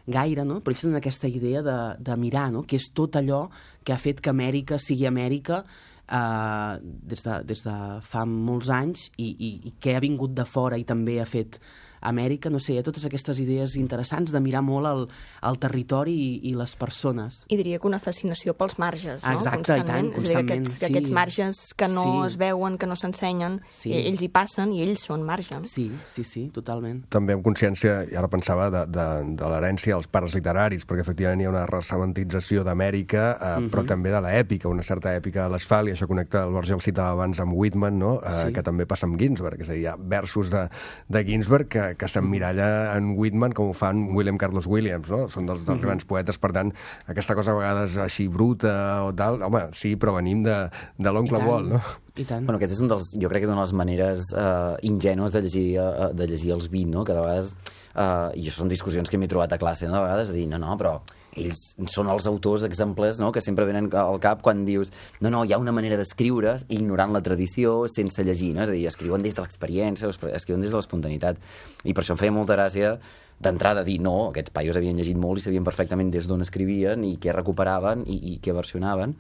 gaire, no? Però ells tenen aquesta idea de, de mirar, no? Que és tot allò que ha fet que Amèrica sigui Amèrica eh, des, de, des de fa molts anys, i, i, i que ha vingut de fora i també ha fet Amèrica. No sé, hi ha totes aquestes idees interessants de mirar molt el, el territori i, i les persones. I diria que una fascinació pels marges, no? Exacte, i tant, constantment. És a dir, constantment, aquests, sí. aquests marges que no Sí. es veuen, que no s'ensenyen, Sí. i ells hi passen i ells són marge. Sí, sí, sí, totalment. També amb consciència, i ara pensava, de, de, de l'herència dels pares literaris, perquè efectivament hi ha una ressementització d'Amèrica, eh, uh -huh. però també de l'èpica, una certa èpica de l'asfalt, i això connecta, el Borges el citava abans amb Whitman, no? eh, Sí. que també passa amb Ginsberg, és a dir, hi ha versos de, de Ginsberg que, que s'emmiralla en Whitman com ho fan William Carlos Williams, no? Són dels, dels uh -huh. grans poetes, per tant, aquesta cosa a vegades així bruta o tal, home, sí, però venim de, de l'oncle Walt, no? I tant. Bueno, aquest és un dels, jo crec que és una de les maneres uh, ingènues de llegir, uh, de llegir els vint, no? Que de vegades, uh, i això són discussions que m'he trobat a classe, no? De vegades, dir, no, no, però ells són els autors exemples, no? Que sempre venen al cap quan dius, no, no, hi ha una manera d'escriure ignorant la tradició, sense llegir, no? És a dir, escriuen des de l'experiència, escriuen des de l'espontaneïtat, i per això em feia molta gràcia d'entrada dir, no, aquests paios havien llegit molt i sabien perfectament des d'on escrivien i què recuperaven i, i què versionaven.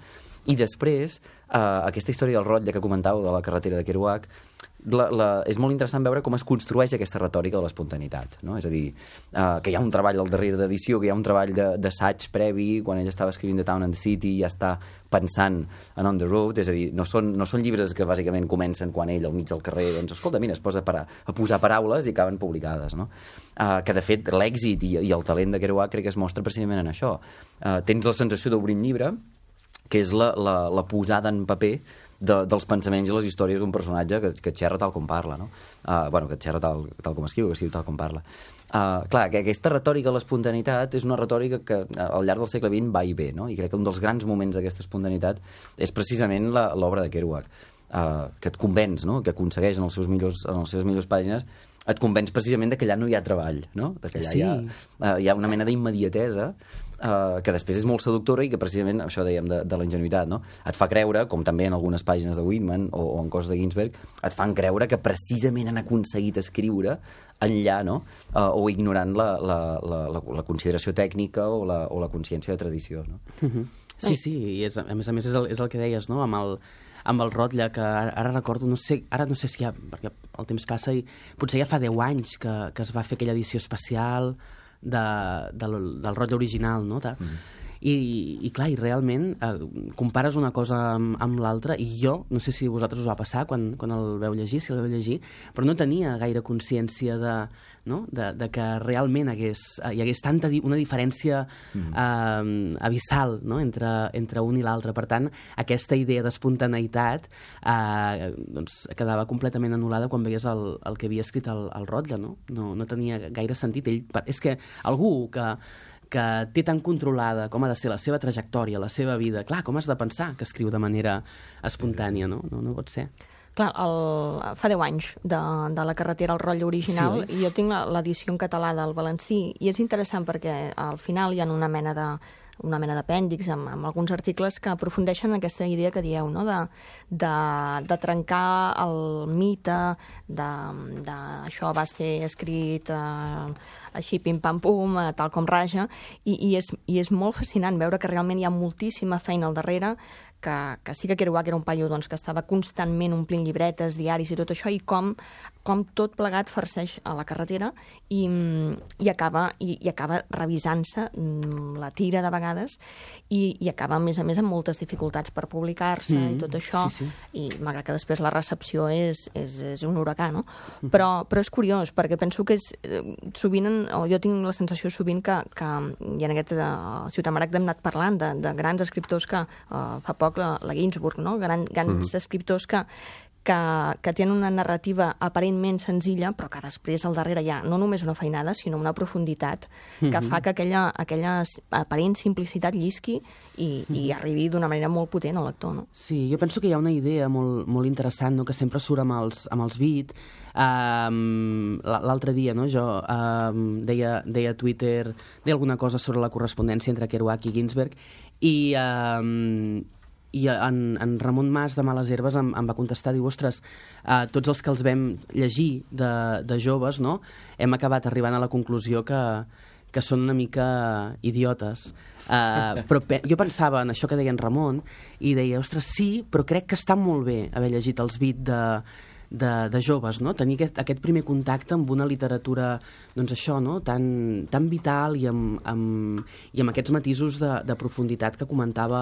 I després, eh, aquesta història del rotlle que comentàveu de la carretera de Kerouac, la, la, és molt interessant veure com es construeix aquesta retòrica de l'espontaneïtat, no? És a dir, eh, que hi ha un treball al darrere d'edició, que hi ha un treball d'assaig previ, quan ell estava escrivint The Town and the City i ja està pensant en On the Road, és a dir, no són, no són llibres que bàsicament comencen quan ell al mig del carrer, doncs, escolta, mira, es posa a, parar, a posar paraules i acaben publicades, no? Uh, que de fet l'èxit i, i el talent de Kerouac crec que es mostra precisament en això. Uh, tens la sensació d'obrir un llibre, que és la, la, la posada en paper de, dels pensaments i les històries d'un personatge que, que xerra tal com parla, no? Uh, bueno, que xerra tal, tal com escriu, que escriu tal com parla. Uh, clar, que aquesta retòrica de l'espontaneïtat és una retòrica que al llarg del segle vint va i ve, no? I crec que un dels grans moments d'aquesta espontaneïtat és precisament l'obra de Kerouac, uh, que et convenç, no? Que aconsegueix en, els seus millors, en les seves millors pàgines, et convenç precisament de que allà no hi ha treball, no? De que allà Sí. hi, ha, uh, hi ha una mena d'immediatesa uh, que després és molt seductora i que precisament, això dèiem de, de la ingenuïtat, no? Et fa creure, com també en algunes pàgines de Whitman o, o en coses de Ginsberg, et fan creure que precisament han aconseguit escriure enllà, no? Uh, o ignorant la, la, la, la, la consideració tècnica o la, o la consciència de tradició, no? Uh-huh. Sí, sí, i és, a més a més és el, és el que deies, no? Amb el, amb el Rotlle, que ara, ara recordo, no sé, ara no sé si ja, perquè el temps passa i potser ja fa deu anys que, que es va fer aquella edició especial de, del, del Rotlle original, no? De, mm. I, i clar, i realment eh, compares una cosa amb, amb l'altra, i jo, no sé si a vosaltres us va passar quan, quan el veu llegir, si el veu llegir, però no tenia gaire consciència de, no? de, de que realment hagués, hi hagués tanta di una diferència mm. eh, abissal, no? entre, entre un i l'altre. Per tant, aquesta idea d'espontaneïtat eh, doncs, quedava completament anul·lada quan veies el, el que havia escrit el, el Rotlle, no? No, no tenia gaire sentit. Ell, és que algú que que té tan controlada com ha de ser la seva trajectòria, la seva vida. Clar, com has de pensar que escriu de manera espontània, no? No, no pot ser. Clar, el, fa deu anys de, de la carretera al Rotlle original, sí. I jo tinc l'edició en català del Valencí, i és interessant perquè al final hi ha una mena de una mena d'apèndix amb, amb alguns articles que aprofundeixen aquesta idea que dieu, no? de, de, de trencar el mite de, de això va ser escrit eh, així pim-pam-pum, eh, tal com raja, i, i, és, i és molt fascinant veure que realment hi ha moltíssima feina al darrere, que, que sí que Kerouac era un paio doncs, que estava constantment omplint llibretes, diaris i tot això, i com, com tot plegat farceix a la carretera i, i acaba, i, i acaba revisant-se la tira de vegades i, i acaba, a més a més, amb moltes dificultats per publicar-se mm, i tot això, sí, sí. I malgrat que després la recepció és, és, és un huracà, no? Però, però és curiós, perquè penso que és, sovint, o jo tinc la sensació sovint que, que i en aquest uh, Ciutat Maragda hem anat parlant de, de grans escriptors que uh, fa poc la, la Ginsburg, no? Gran, grans mm-hmm. escriptors que, que, que tenen una narrativa aparentment senzilla, però que després al darrere hi ha no només una feinada, sinó una profunditat que mm-hmm. fa que aquella, aquella aparent simplicitat llisqui i, mm-hmm. i arribi d'una manera molt potent al lector, no? Sí, jo penso que hi ha una idea molt, molt interessant, no? Que sempre surt amb els, amb els beat. Um, l'altre dia, no? Jo um, deia, deia a Twitter, deia alguna cosa sobre la correspondència entre Kerouac i Ginsberg, i... Um, i en, en Ramon Mas de Males Herbes em, em va contestar, diu, ostres, eh, tots els que els vam llegir de, de joves, no? Hem acabat arribant a la conclusió que, que són una mica idiotes. Eh, però pe jo pensava en això que deia en Ramon i deia, ostres, sí, però crec que està molt bé haver llegit els beat de, de, de joves, no? Tenir aquest, aquest primer contacte amb una literatura, doncs això, no? tan, tan vital i amb, amb, i amb aquests matisos de, de profunditat que comentava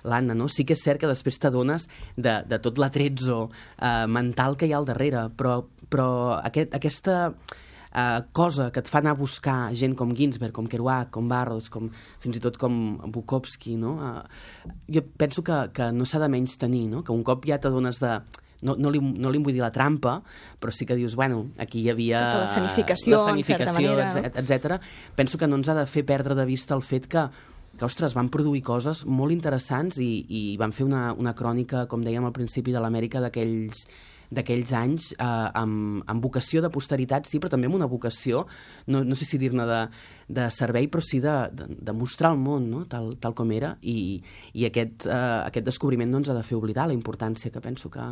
l'Anna, no? Sí que és cert que després t'adones de, de tot l'atrezzo eh, mental que hi ha al darrere, però, però aquest, aquesta eh, cosa que et fa anar a buscar gent com Ginsberg, com Kerouac, com Burroughs, com, fins i tot com Bukowski, no? Eh, jo penso que, que no s'ha de menys tenir, no? Que un cop ja t'adones de... No, no, li, no li vull dir la trampa, però sí que dius, bueno, aquí hi havia... Tota la sanificació, la sanificació en certa manera. etcètera. Penso que no ens ha de fer perdre de vista el fet que que, ostres, van produir coses molt interessants i, i van fer una, una crònica, com dèiem al principi, de l'Amèrica d'aquells d'aquells anys eh, amb, amb vocació de posteritat, sí, però també amb una vocació, no, no sé si dir-ne de, de servei, però sí de, de, de mostrar el món, no? tal, tal com era, i, i aquest, eh, aquest descobriment no ens ha de fer oblidar la importància que penso que,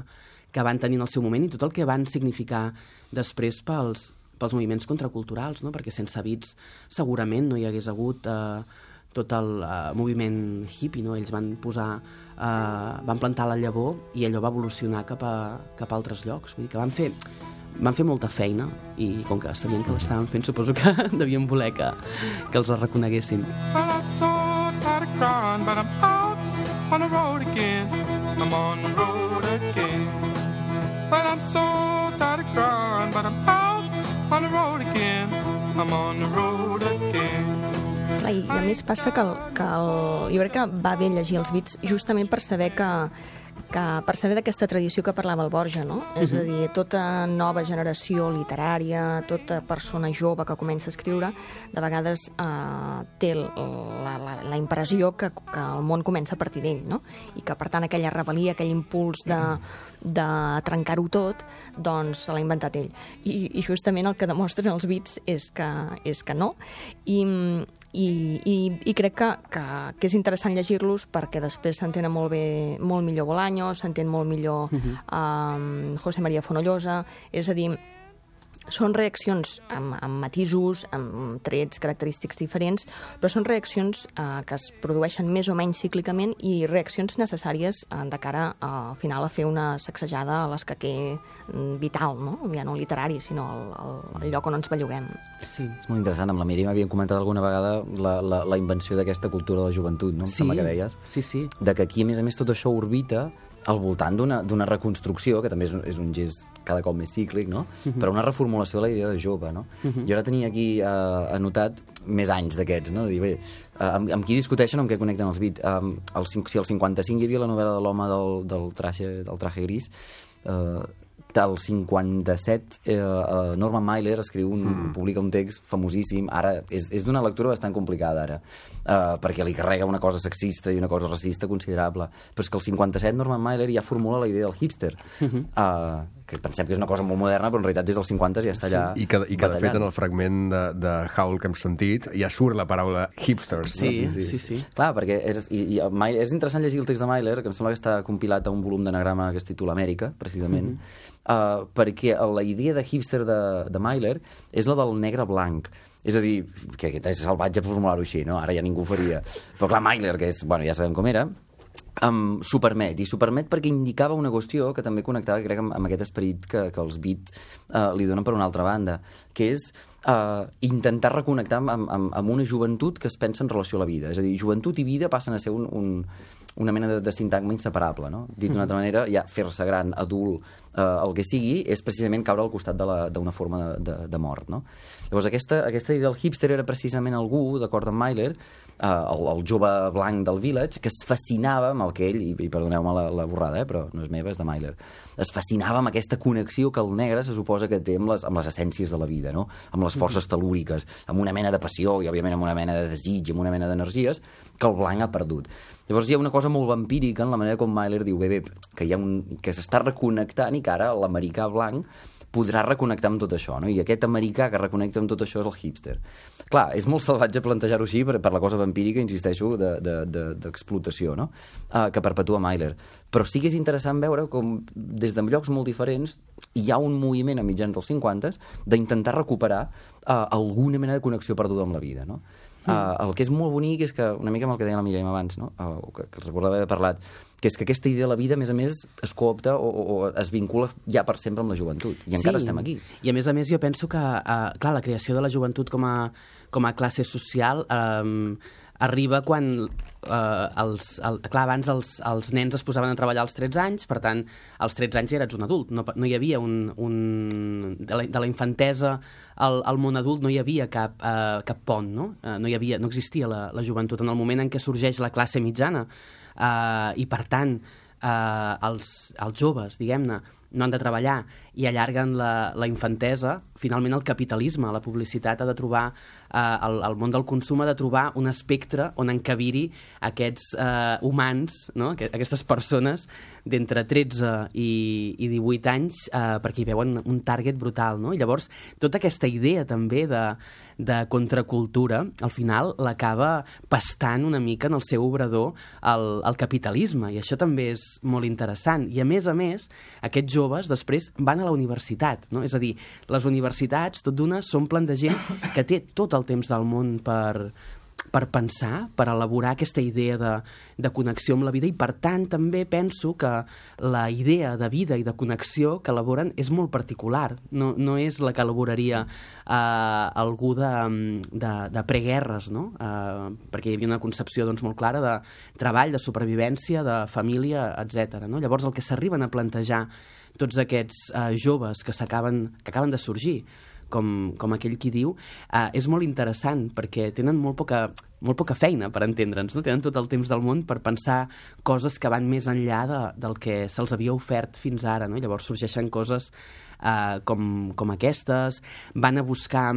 que van tenir en el seu moment i tot el que van significar després pels, pels moviments contraculturals, no? Perquè sense Beats segurament no hi hagués hagut eh, tot el uh, moviment hippie, no? Ells van posar, uh, van plantar la llavor i allò va evolucionar cap a, cap a altres llocs. Vull dir que van fer, van fer molta feina i com que sabien que l'estaven fent, suposo que devien voler que, que els la reconeguessin. Well, I'm so tired of crying, but I'm out on the road again. I'm on the road again. Well, I'm so tired of crying, but I'm out on the road again. I'm on the road again. I a més passa que, el, que el, jo crec que va bé llegir els Beats justament per saber que, que percebe d'aquesta tradició que parlava el Borja, no? Uh-huh. És a dir, tota nova generació literària, tota persona jove que comença a escriure, de vegades eh, té la, la, la impressió que, que el món comença a partir d'ell, no? I que, per tant, aquella rebel·lia, aquell impuls de, de trencar-ho tot, doncs se l'ha inventat ell. I, i justament el que demostren els Beats és que, és que no. I, i, i, i crec que, que, que és interessant llegir-los perquè després s'entenen molt bé, molt millor Bolaño, s'entén molt millor uh-huh. eh, José María Fonollosa, és a dir, són reaccions amb, amb matisos, amb trets característics diferents, però són reaccions eh, que es produeixen més o menys cíclicament i reaccions necessàries eh, de cara a, al final a fer una sacsejada a l'escaquer vital, no? Ja no literari, sinó el, el, el lloc on ens belluguem. Sí. És molt interessant. Amb la Míriam havíem comentat alguna vegada la, la, la invenció d'aquesta cultura de la joventut, no? Em Sí, sembla que deies. sí, sí. De que aquí, a més a més, tot això orbita al voltant d'una reconstrucció, que també és un, és un gest cada cop més cíclic, no? Uh-huh. Però una reformulació de la idea de jove, no? Uh-huh. Jo ara tenia aquí eh, anotat més anys d'aquests, no? De dir, bé, eh, amb, amb qui discuteixen, amb què connecten els Beats? Um, el, si al cinquanta-cinc hi havia la novel·la de l'home del, del, traje, del traje gris, eh, del cinquanta-set eh, eh, Norman Mailer escriu un, mm. publica un text famosíssim, ara és, és d'una lectura bastant complicada ara, eh, perquè li carrega una cosa sexista i una cosa racista considerable, però és que el cinquanta-set Norman Mailer ja formula la idea del hipster, mm-hmm. eh, que pensem que és una cosa molt moderna, però en realitat des dels cinquanta ja està allà sí. I que, i que de fet en el fragment de, de Howl que hem sentit ja surt la paraula hipsters. Sí, no? sí, sí, sí. Clar, perquè és, i, i Mailer, és interessant llegir el text de Mailer, que em sembla que està compilat a un volum d'anagrama que es titula Amèrica, precisament, mm-hmm. uh, perquè la idea de hipster de, de Mailer és la del negre blanc. És a dir, que aquest és salvatge formular-ho així, no? Ara ja ningú ho faria. Però clar, Mailer, que és, bueno, ja sabem com era, Um, s'ho permet, i s'ho permet perquè indicava una qüestió que també connectava, crec, amb, amb aquest esperit que, que els Beat uh, li donen per una altra banda, que és uh, intentar reconnectar amb, amb, amb una joventut que es pensa en relació a la vida. És a dir, joventut i vida passen a ser un, un, una mena de, de sintagma inseparable, no? Dit d'una altra manera, ja fer-se gran, adult, uh, el que sigui, és precisament caure al costat d'una forma de, de, de mort, no? Llavors, aquesta, aquesta idea del hipster era precisament algú, d'acord amb Mailer, eh, el, el jove blanc del Village, que es fascinava amb el que ell, i, i perdoneu-me la, la borrada, eh, però no és meva, és de Mailer, es fascinava amb aquesta connexió que el negre se suposa que té amb les, amb les essències de la vida, no? Amb les forces telúriques, amb una mena de passió i, òbviament, amb una mena de desig, amb una mena d'energies que el blanc ha perdut. Llavors hi ha una cosa molt vampírica en la manera com Mailer diu, bé, bé, que, hi ha un, que s'està reconnectant i que ara l'americà blanc podrà reconnectar amb tot això, no? I aquest americà que reconnecta amb tot això és el hipster. Clar, és molt salvatge plantejar-ho així per, per la cosa vampírica, insisteixo, d'explotació, de, de, de, no? Uh, que perpetua Mailer. Però sí que és interessant veure com des de llocs molt diferents hi ha un moviment a mitjans dels cinquanta d'intentar recuperar uh, alguna mena de connexió perduda amb la vida, no? Uh, el que és molt bonic és que, una mica amb el que deia la Míriam abans, no? uh, que, que recordava haver parlat, que és que aquesta idea de la vida, a més a més, es coopta o, o, o es vincula ja per sempre amb la joventut. I encara sí. estem aquí. I a més a més jo penso que, uh, clar, la creació de la joventut com a, com a classe social um, arriba quan, uh, els, el, clar, abans els, els nens es posaven a treballar als tretze anys, per tant, als tretze anys ja eres un adult. No, no hi havia un... un de, la, de la infantesa al, al món adult no hi havia cap, uh, cap pont, no? Uh, no, hi havia, no existia la, la joventut. En el moment en què sorgeix la classe mitjana, Uh, i per tant uh, els, els joves, diguem-ne, no han de treballar i allarguen la, la infantesa, finalment el capitalisme, la publicitat ha de trobar, uh, el, el món del consum ha de trobar un espectre on encabir aquests uh, humans, no? Aquestes persones d'entre tretze i, i divuit anys, uh, perquè hi veuen un target brutal, no? I llavors, tota aquesta idea també de de contracultura, al final l'acaba pastant una mica en el seu obrador el, el capitalisme, i això també és molt interessant. I a més a més, aquests joves després van a la universitat, no? És a dir, les universitats, tot d'una, s'omplen de gent que té tot el temps del món per, per pensar, per elaborar aquesta idea de, de connexió amb la vida, i per tant també penso que la idea de vida i de connexió que elaboren és molt particular, no, no és la que elaboraria eh, algú de, de, de preguerres, no? Eh, perquè hi havia una concepció doncs, molt clara de treball, de supervivència, de família, etcètera. No? Llavors el que s'arriben a plantejar tots aquests eh, joves que s'acaben que acaben de sorgir, com, com aquell qui diu, eh, és molt interessant perquè tenen molt poca... molt poca feina per entendre'ns, no? Tenen tot el temps del món per pensar coses que van més enllà de, del que se'ls havia ofert fins ara, no? Llavors sorgeixen coses eh, com, com aquestes, van a buscar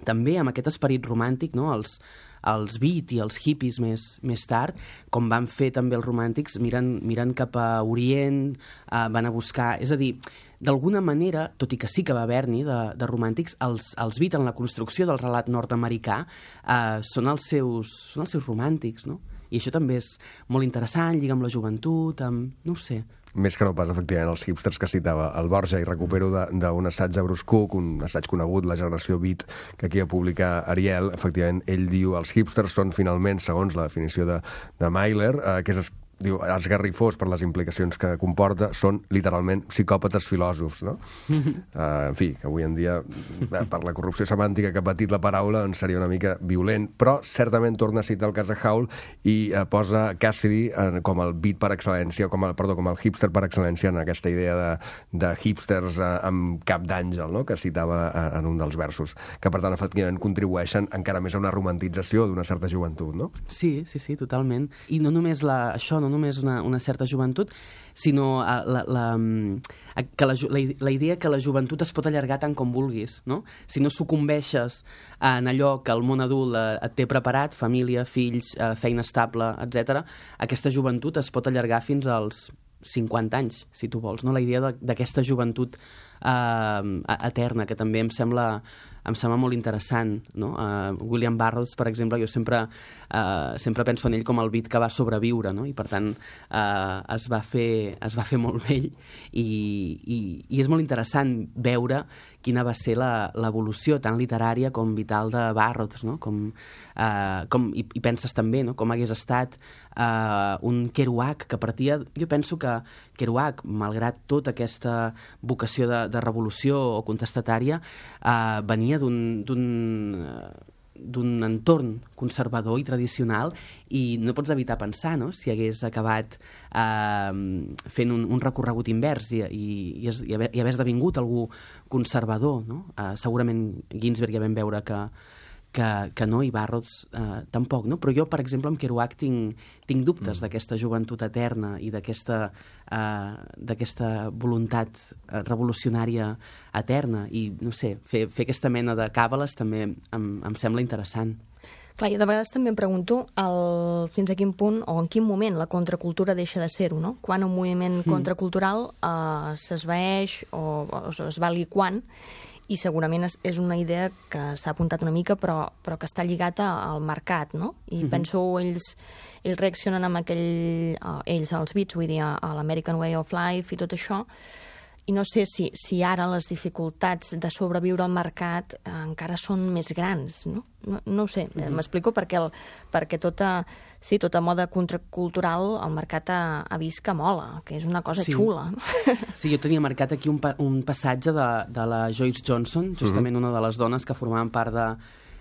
també amb aquest esperit romàntic, no? els, els beat i els hippies més, més tard, com van fer també els romàntics, miren, miren cap a Orient, eh, van a buscar... És a dir, d'alguna manera, tot i que sí que va haver-n'hi de, de romàntics, els, els beat en la construcció del relat nord-americà eh, són, els seus, són els seus romàntics, no? I això també és molt interessant, lliga amb la joventut, amb... no ho sé. Més que no pas, efectivament, els hipsters que citava el Borja, i recupero d'un assaig de Bruce Cook, un assaig conegut, La generació beat, que aquí va publicar Ariel. Efectivament, ell diu els hipsters són finalment, segons la definició de, de Myler, eh, que és... diu, esgarrifós per les implicacions que comporta, són literalment psicòpates filòsofs, no? Uh, en fi, que avui en dia, per la corrupció semàntica que ha patit la paraula, doncs seria una mica violent, però certament torna a citar el cas de Howl i uh, posa Cassidy uh, com el beat per excel·lència, com el, perdó, com el hipster per excel·lència en aquesta idea de, de hipsters uh, amb cap d'àngel, no?, que citava uh, en un dels versos, que per tant, efectivament, contribueixen encara més a una romantització d'una certa joventut, no? Sí, sí, sí, totalment. I no només la, això, no només una, una certa joventut, sinó la, la, la, que la, la, la idea que la joventut es pot allargar tant com vulguis, no? Si no sucumbeixes en allò que el món adult et té preparat, família, fills, feina estable, etcètera, aquesta joventut es pot allargar fins als cinquanta anys, si tu vols, no? La idea d'aquesta joventut eh, eterna, que també em sembla... em sembla molt interessant, no? Uh, William Burroughs, per exemple, jo sempre, uh, sempre penso en ell com el beat que va sobreviure, no? I per tant uh, es, va fer, es va fer molt vell i, i, i és molt interessant veure quina va ser l'evolució tan literària com vital de Burroughs, no? Com, uh, com, i, i penses també, no?, com hagués estat uh, un Kerouac que partia... Jo penso que Kerouac, malgrat tota aquesta vocació de, de revolució o contestatària, uh, venia d'un d'un entorn conservador i tradicional i no pots evitar pensar, no?, si hagués acabat eh, fent un, un recorregut invers i, i, i, es, i, haver, i haver esdevingut algú conservador, no? Eh, segurament Ginsberg ja vam veure que, que, que no, i Burroughs eh, tampoc, no? Però jo, per exemple, amb Kerouac tinc, tinc dubtes mm. d'aquesta joventut eterna i d'aquesta eh, d'aquesta voluntat revolucionària eterna i, no sé, fer, fer aquesta mena de càbales també em, em sembla interessant. Clar, jo de vegades també em pregunto el, fins a quin punt o en quin moment la contracultura deixa de ser-ho, no? Quan un moviment mm. contracultural eh, s'esvaeix o, o es va liquant, i segurament és, és una idea que s'ha apuntat una mica, però, però que està lligat al mercat, no? I mm-hmm. penso, ells, ells reaccionen amb aquell... Uh, ells, els beats, vull dir, a, a l'American Way of Life i tot això, i no sé si, si ara les dificultats de sobreviure al mercat eh, encara són més grans, no? No, no ho sé, mm-hmm. m'explico perquè, el, perquè tota, sí, tota moda contracultural el mercat ha, ha vist que mola, que és una cosa sí. xula. Sí, jo tenia marcat aquí un, pa, un passatge de, de la Joyce Johnson, justament mm-hmm. una de les dones que formaven part de,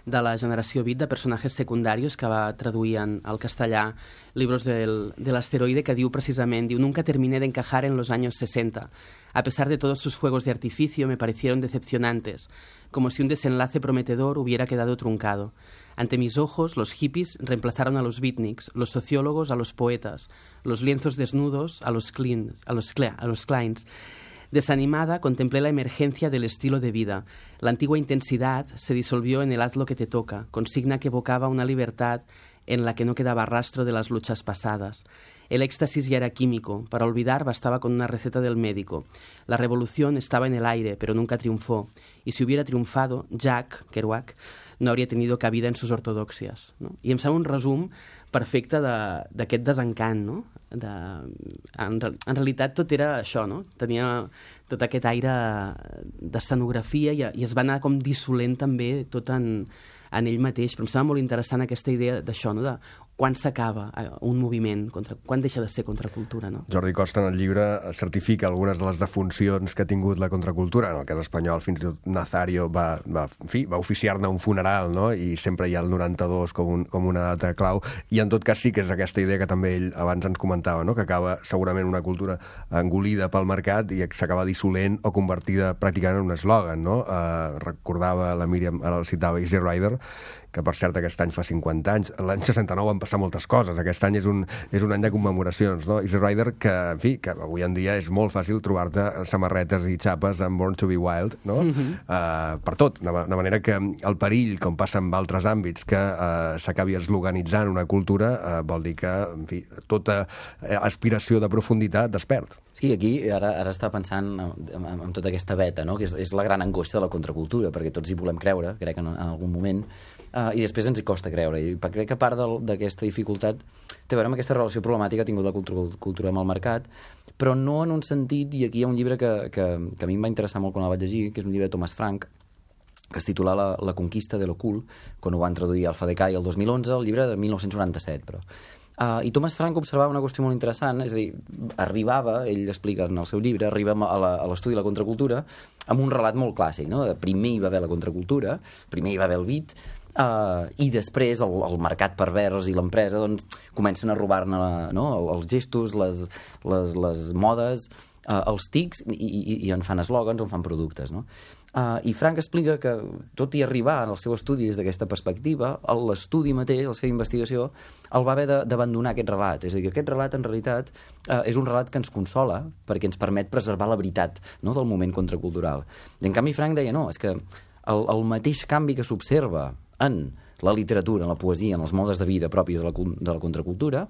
de la generació beat de personatges secundarios, que va traduir en, al castellà Libros del, del asteroide, que diu precisament, diu, nunca terminé de encajar en los años sesenta. A pesar de todos sus fuegos de artificio, me parecieron decepcionantes, como si un desenlace prometedor hubiera quedado truncado. Ante mis ojos, los hippies reemplazaron a los beatniks, los sociólogos a los poetas, los lienzos desnudos a los, cleans, a los, a los Kleins. Desanimada, contemplé la emergencia del estilo de vida. La antigua intensidad se disolvió en el haz lo que te toca, consigna que evocaba una libertad en la que no quedaba rastro de las luchas pasadas. El éxtasis ya era químico, para olvidar bastaba con una receta del médico. La revolución estaba en el aire, pero nunca triunfó. Y si hubiera triunfado, Jack Kerouac no hauria tenido cabida en sus ortodoxias. No? I em sembla un resum perfecte d'aquest de, desencant, no? De, en, en realitat tot era això, no? Tenia tot aquest aire d'escenografia i, i es va anar com dissolent també tot en, en ell mateix, però em sembla molt interessant aquesta idea d'això, no? quan s'acaba un moviment, contra, quan deixa de ser contracultura, no? Jordi Costa en el llibre certifica algunes de les defuncions que ha tingut la contracultura. En el cas espanyol, fins i tot Nazario va, va, en fi, va oficiar-ne un funeral, no? I sempre hi ha el noranta-dos com, un, com una data clau. I en tot cas sí que és aquesta idea que també ell abans ens comentava, no? Que acaba segurament una cultura engolida pel mercat i s'acaba dissolent o convertida pràcticament en un eslògan, no? Uh, recordava la Míriam, ara el citava, Easy Rider, que per cert aquest any fa cinquanta anys. L'any seixanta-nou van passar moltes coses. Aquest any és un, és un any de commemoracions, no? Easy Rider, que, en fi, que avui en dia és molt fàcil trobar-te samarretes i xapes amb Born to be Wild, no? Mm-hmm. uh, per tot, de, de manera que el perill, com passa en altres àmbits, que uh, s'acabi eslocanitzant una cultura, uh, vol dir que, en fi, tota aspiració de profunditat despert. Sí, aquí ara, ara està pensant en, en, en tota aquesta veta, no? Que és, és la gran angoixa de la contracultura, perquè tots hi volem creure, crec, en, en algun moment, uh, i després ens hi costa creure. I crec que part d'aquesta dificultat té a veure amb aquesta relació problemàtica que ha tingut la cultura amb el mercat, però no en un sentit, i aquí hi ha un llibre que, que, que a mi em va interessar molt quan el vaig llegir, que és un llibre de Thomas Frank, que es titula La, la conquista de l'ocult, quan ho van traduir al Fadecai el dos mil onze, el llibre de mil nou-cents noranta-set, però... Uh, I Thomas Frank observava una qüestió molt interessant, és a dir, arribava, ell explica en el seu llibre, arriba a l'estudi de la contracultura amb un relat molt clàssic, no? Primer hi va haver la contracultura, primer hi va haver el beat, uh, i després el, el mercat pervers i l'empresa doncs, comencen a robar-ne, no? Els gestos, les, les, les modes, uh, els tics, i, i, i en fan eslògans o en fan productes, no? Uh, I Frank explica que, tot i arribar en el seu estudi des d'aquesta perspectiva, l'estudi mateix, la seva investigació, el va haver d'abandonar aquest relat. És a dir, que aquest relat, en realitat, uh, és un relat que ens consola perquè ens permet preservar la veritat, no?, del moment contracultural. I, en canvi, Frank deia, no, és que el, el mateix canvi que s'observa en la literatura, en la poesia, en els modes de vida propis de la, de la contracultura,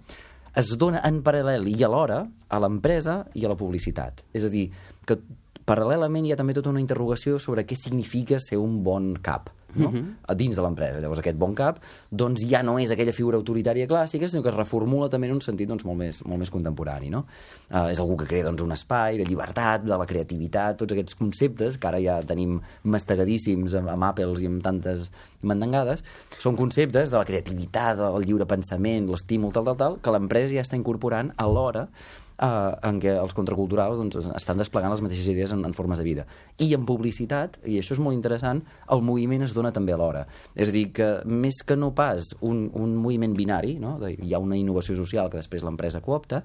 es dona en paral·lel i alhora a l'empresa i a la publicitat. És a dir, que paral·lelament hi ha també tota una interrogació sobre què significa ser un bon cap, no? Uh-huh. Dins de l'empresa. Llavors aquest bon cap doncs ja no és aquella figura autoritària clàssica, sinó que es reformula també en un sentit doncs, molt, més, molt més contemporani, no? Uh, és algú que crea doncs, un espai de llibertat, de la creativitat, tots aquests conceptes que ara ja tenim mastegadíssims amb, amb Apple i amb tantes mandangades, són conceptes de la creativitat, del lliure pensament, l'estímul, tal, tal, tal, que l'empresa ja està incorporant alhora Uh, en què els contraculturals doncs, estan desplegant les mateixes idees en, en formes de vida. I en publicitat, i això és molt interessant, el moviment es dona també alhora. És a dir, que més que no pas un, un moviment binari, no? De, hi ha una innovació social que després l'empresa coopta,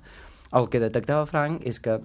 el que detectava Frank és que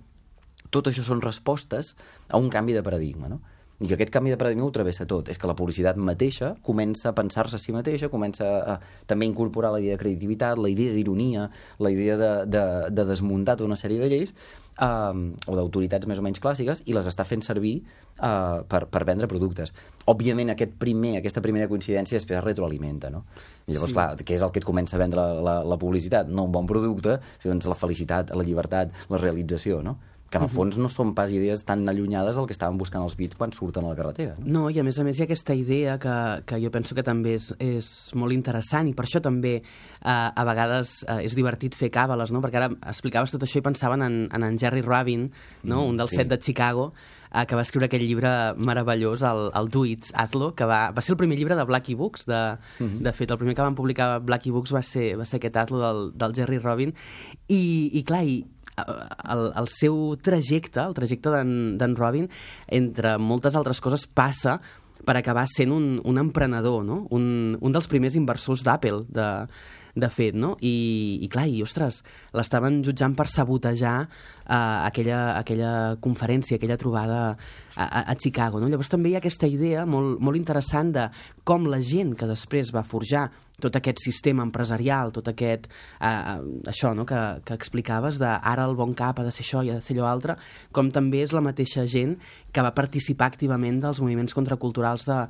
tot això són respostes a un canvi de paradigma, no? I que aquest canvi de paradigma ho travessa tot. És que la publicitat mateixa comença a pensar-se a si mateixa, comença a, a també incorporar la idea de creativitat, la idea d'ironia, la idea de, de, de desmuntar tota una sèrie de lleis um, o d'autoritats més o menys clàssiques i les està fent servir uh, per, per vendre productes. Òbviament, aquest primer, aquesta primera coincidència després es retroalimenta, no? I llavors, sí. Clar, què és el que et comença a vendre la, la, la publicitat? No un bon producte, sinó la felicitat, la llibertat, la realització, no? Que en el fons no són pas idees tan allunyades del que estaven buscant els Beats quan surten a la carretera. No, no i a més a més hi ha aquesta idea que, que jo penso que també és, és molt interessant i per això també eh, a vegades eh, és divertit fer càbales, no? Perquè ara explicaves tot això i pensaven en, en, en Jerry Rubin, no? Mm, un dels sí. set de Chicago, eh, que va escriure aquell llibre meravellós, el, el Do It, Hazlo, que va, va ser el primer llibre de Blackie Books. De, mm-hmm. de fet, el primer que van publicar Blackie Books va ser, va ser aquest Hazlo del, del Jerry Rubin. I, i clar, i El, el seu trajecte, el trajecte d'en Robin, entre moltes altres coses, passa per acabar sent un, un emprenedor, no? un, un dels primers inversors d'Apple, de, de fet, no? I, i clar, i ostres, l'estaven jutjant per sabotejar uh, aquella, aquella conferència, aquella trobada a, a, a Chicago, no? Llavors també hi ha aquesta idea molt, molt interessant de com la gent que després va forjar tot aquest sistema empresarial, tot aquest, eh, això, no?, que, que explicaves, de ara el bon cap ha de ser això i ha de ser allò altre, com també és la mateixa gent que va participar activament dels moviments contraculturals de,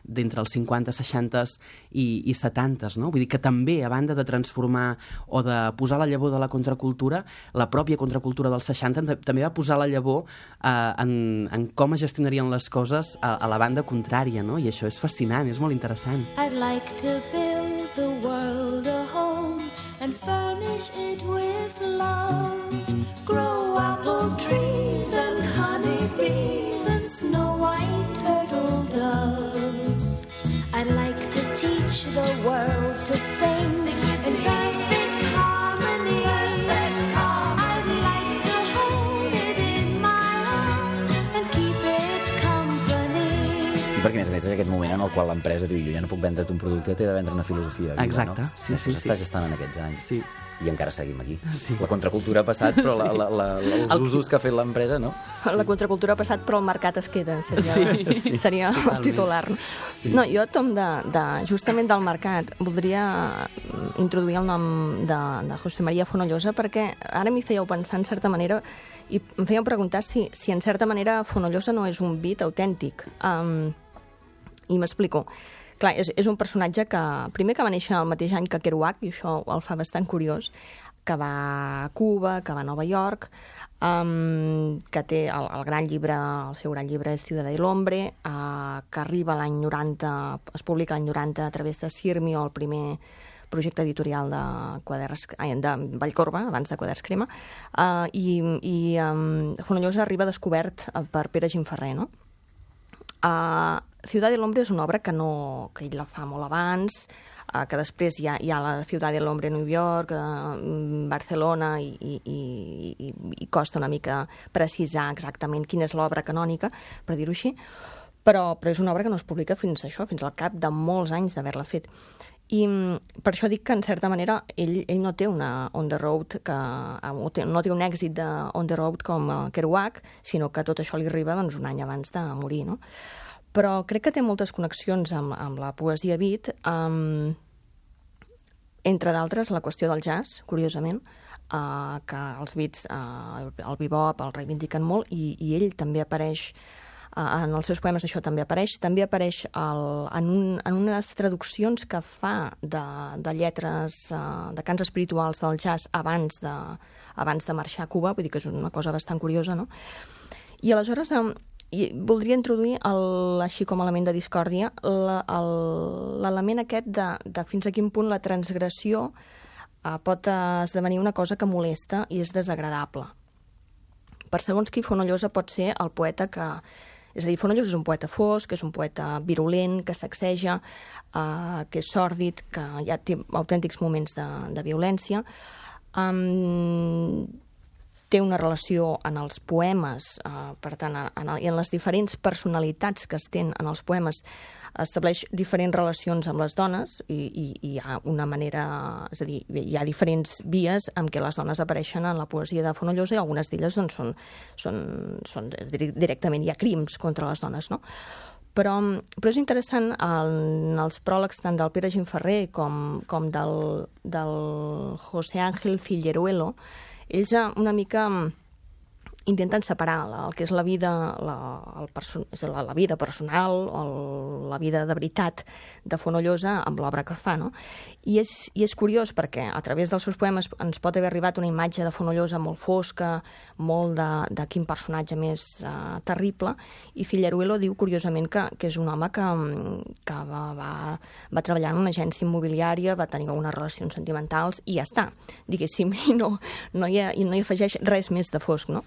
d'entre els cinquanta, seixanta i, i setanta, no? Vull dir que també, a banda de transformar o de posar la llavor de la contracultura, la pròpia contracultura dels seixanta també va posar la llavor eh, en, en com es gestionarien les coses a, a la banda contrària, no? I això és fascinant, és molt interessant. I'd like to build the world a home and furnish it with love. Grow apple trees and honey bees and snow white turtle doves. I'd like to teach the world to sing and perquè a més a més és aquest moment en el qual l'empresa diu jo ja no puc vendre't un producte, t'he de vendre una filosofia viva, Exacte, no? sí, sí, Això sí. està gestant en aquests anys. Sí. I encara seguim aquí. Sí. La contracultura ha passat, però la, la, la, la, els El- usos que ha fet l'empresa, no? La contracultura ha passat, però el mercat es queda. Seria, Sí, sí, seria el totalment. titular. Sí. No, jo, Tom, de, de, justament del mercat, voldria introduir el nom de, de José María Fonollosa, perquè ara m'hi fèieu pensar en certa manera i em fèieu preguntar si, si en certa manera Fonollosa no és un beat autèntic. Um, I m'explico. Clar, és, és un personatge que, primer que va néixer el mateix any que Kerouac, i això el fa bastant curiós, que va a Cuba, que va a Nova York, um, que té el, el gran llibre, el seu gran llibre és Ciudad del Hombre, uh, que arriba l'any noranta, es publica l'any noranta a través de Sirmio, el primer projecte editorial de, quaderns, ai, de Vallcorba, abans de Quaderns Crema, uh, i, i um, Fonollosa arriba descobert per Pere Gimferrer, no? Uh, Ciudad del Hombre és una obra que, no, que ell la fa molt abans, uh, que després hi ha, hi ha la Ciudad del Hombre a New York, uh, Barcelona, i, i, i, i costa una mica precisar exactament quina és l'obra canònica, per dir-ho així, però, però és una obra que no es publica fins a això, fins al cap de molts anys d'haver-la fet. I per això dic que, en certa manera, ell, ell no té una on the road, que, no té un èxit de on the road com el Kerouac, sinó que tot això li arriba doncs, un any abans de morir, no? Però crec que té moltes connexions amb, amb la poesia beat, um, entre d'altres la qüestió del jazz, curiosament, uh, que els beats, uh, el bebop, el reivindiquen molt, i, i ell també apareix, uh, en els seus poemes això també apareix, també apareix el, en, un, en unes traduccions que fa de, de lletres, uh, de cants espirituals del jazz abans de, abans de marxar a Cuba, vull dir que és una cosa bastant curiosa, no? I aleshores... Um, I voldria introduir, el, així com a element de discòrdia, l'element aquest de, de fins a quin punt la transgressió eh, pot esdevenir una cosa que molesta i és desagradable. Per segons qui, Fonollosa pot ser el poeta que... És a dir, Fonollosa és un poeta fosc, és un poeta virulent, que sacseja, eh, que és sòrdid, que ja té autèntics moments de, de violència. Um, té una relació en els poemes, eh, per tant, en, el, i en les diferents personalitats que es tenen en els poemes, estableix diferents relacions amb les dones i, i, i hi ha una manera, és a dir, hi ha diferents vies en què les dones apareixen en la poesia de Fonollosa i algunes d'elles doncs, són, són, són directament, hi ha crims contra les dones, no? Però, però és interessant, en els pròlegs tant del Pere Gimferrer com, com del, del José Ángel Figueruelo, ells una mica intenten separar la, el que és la vida, la, el perso la, la vida personal o el, la vida de veritat de Fonollosa amb l'obra que fa, no? I és, I és curiós perquè a través dels seus poemes ens pot haver arribat una imatge de Fonollosa molt fosca, molt de, de quin personatge més uh, terrible, i Figueruelo diu curiosament que, que és un home que, que va, va, va treballar en una agència immobiliària, va tenir algunes relacions sentimentals i ja està, diguéssim, i no, no, hi, ha, i no hi afegeix res més de fosc, no?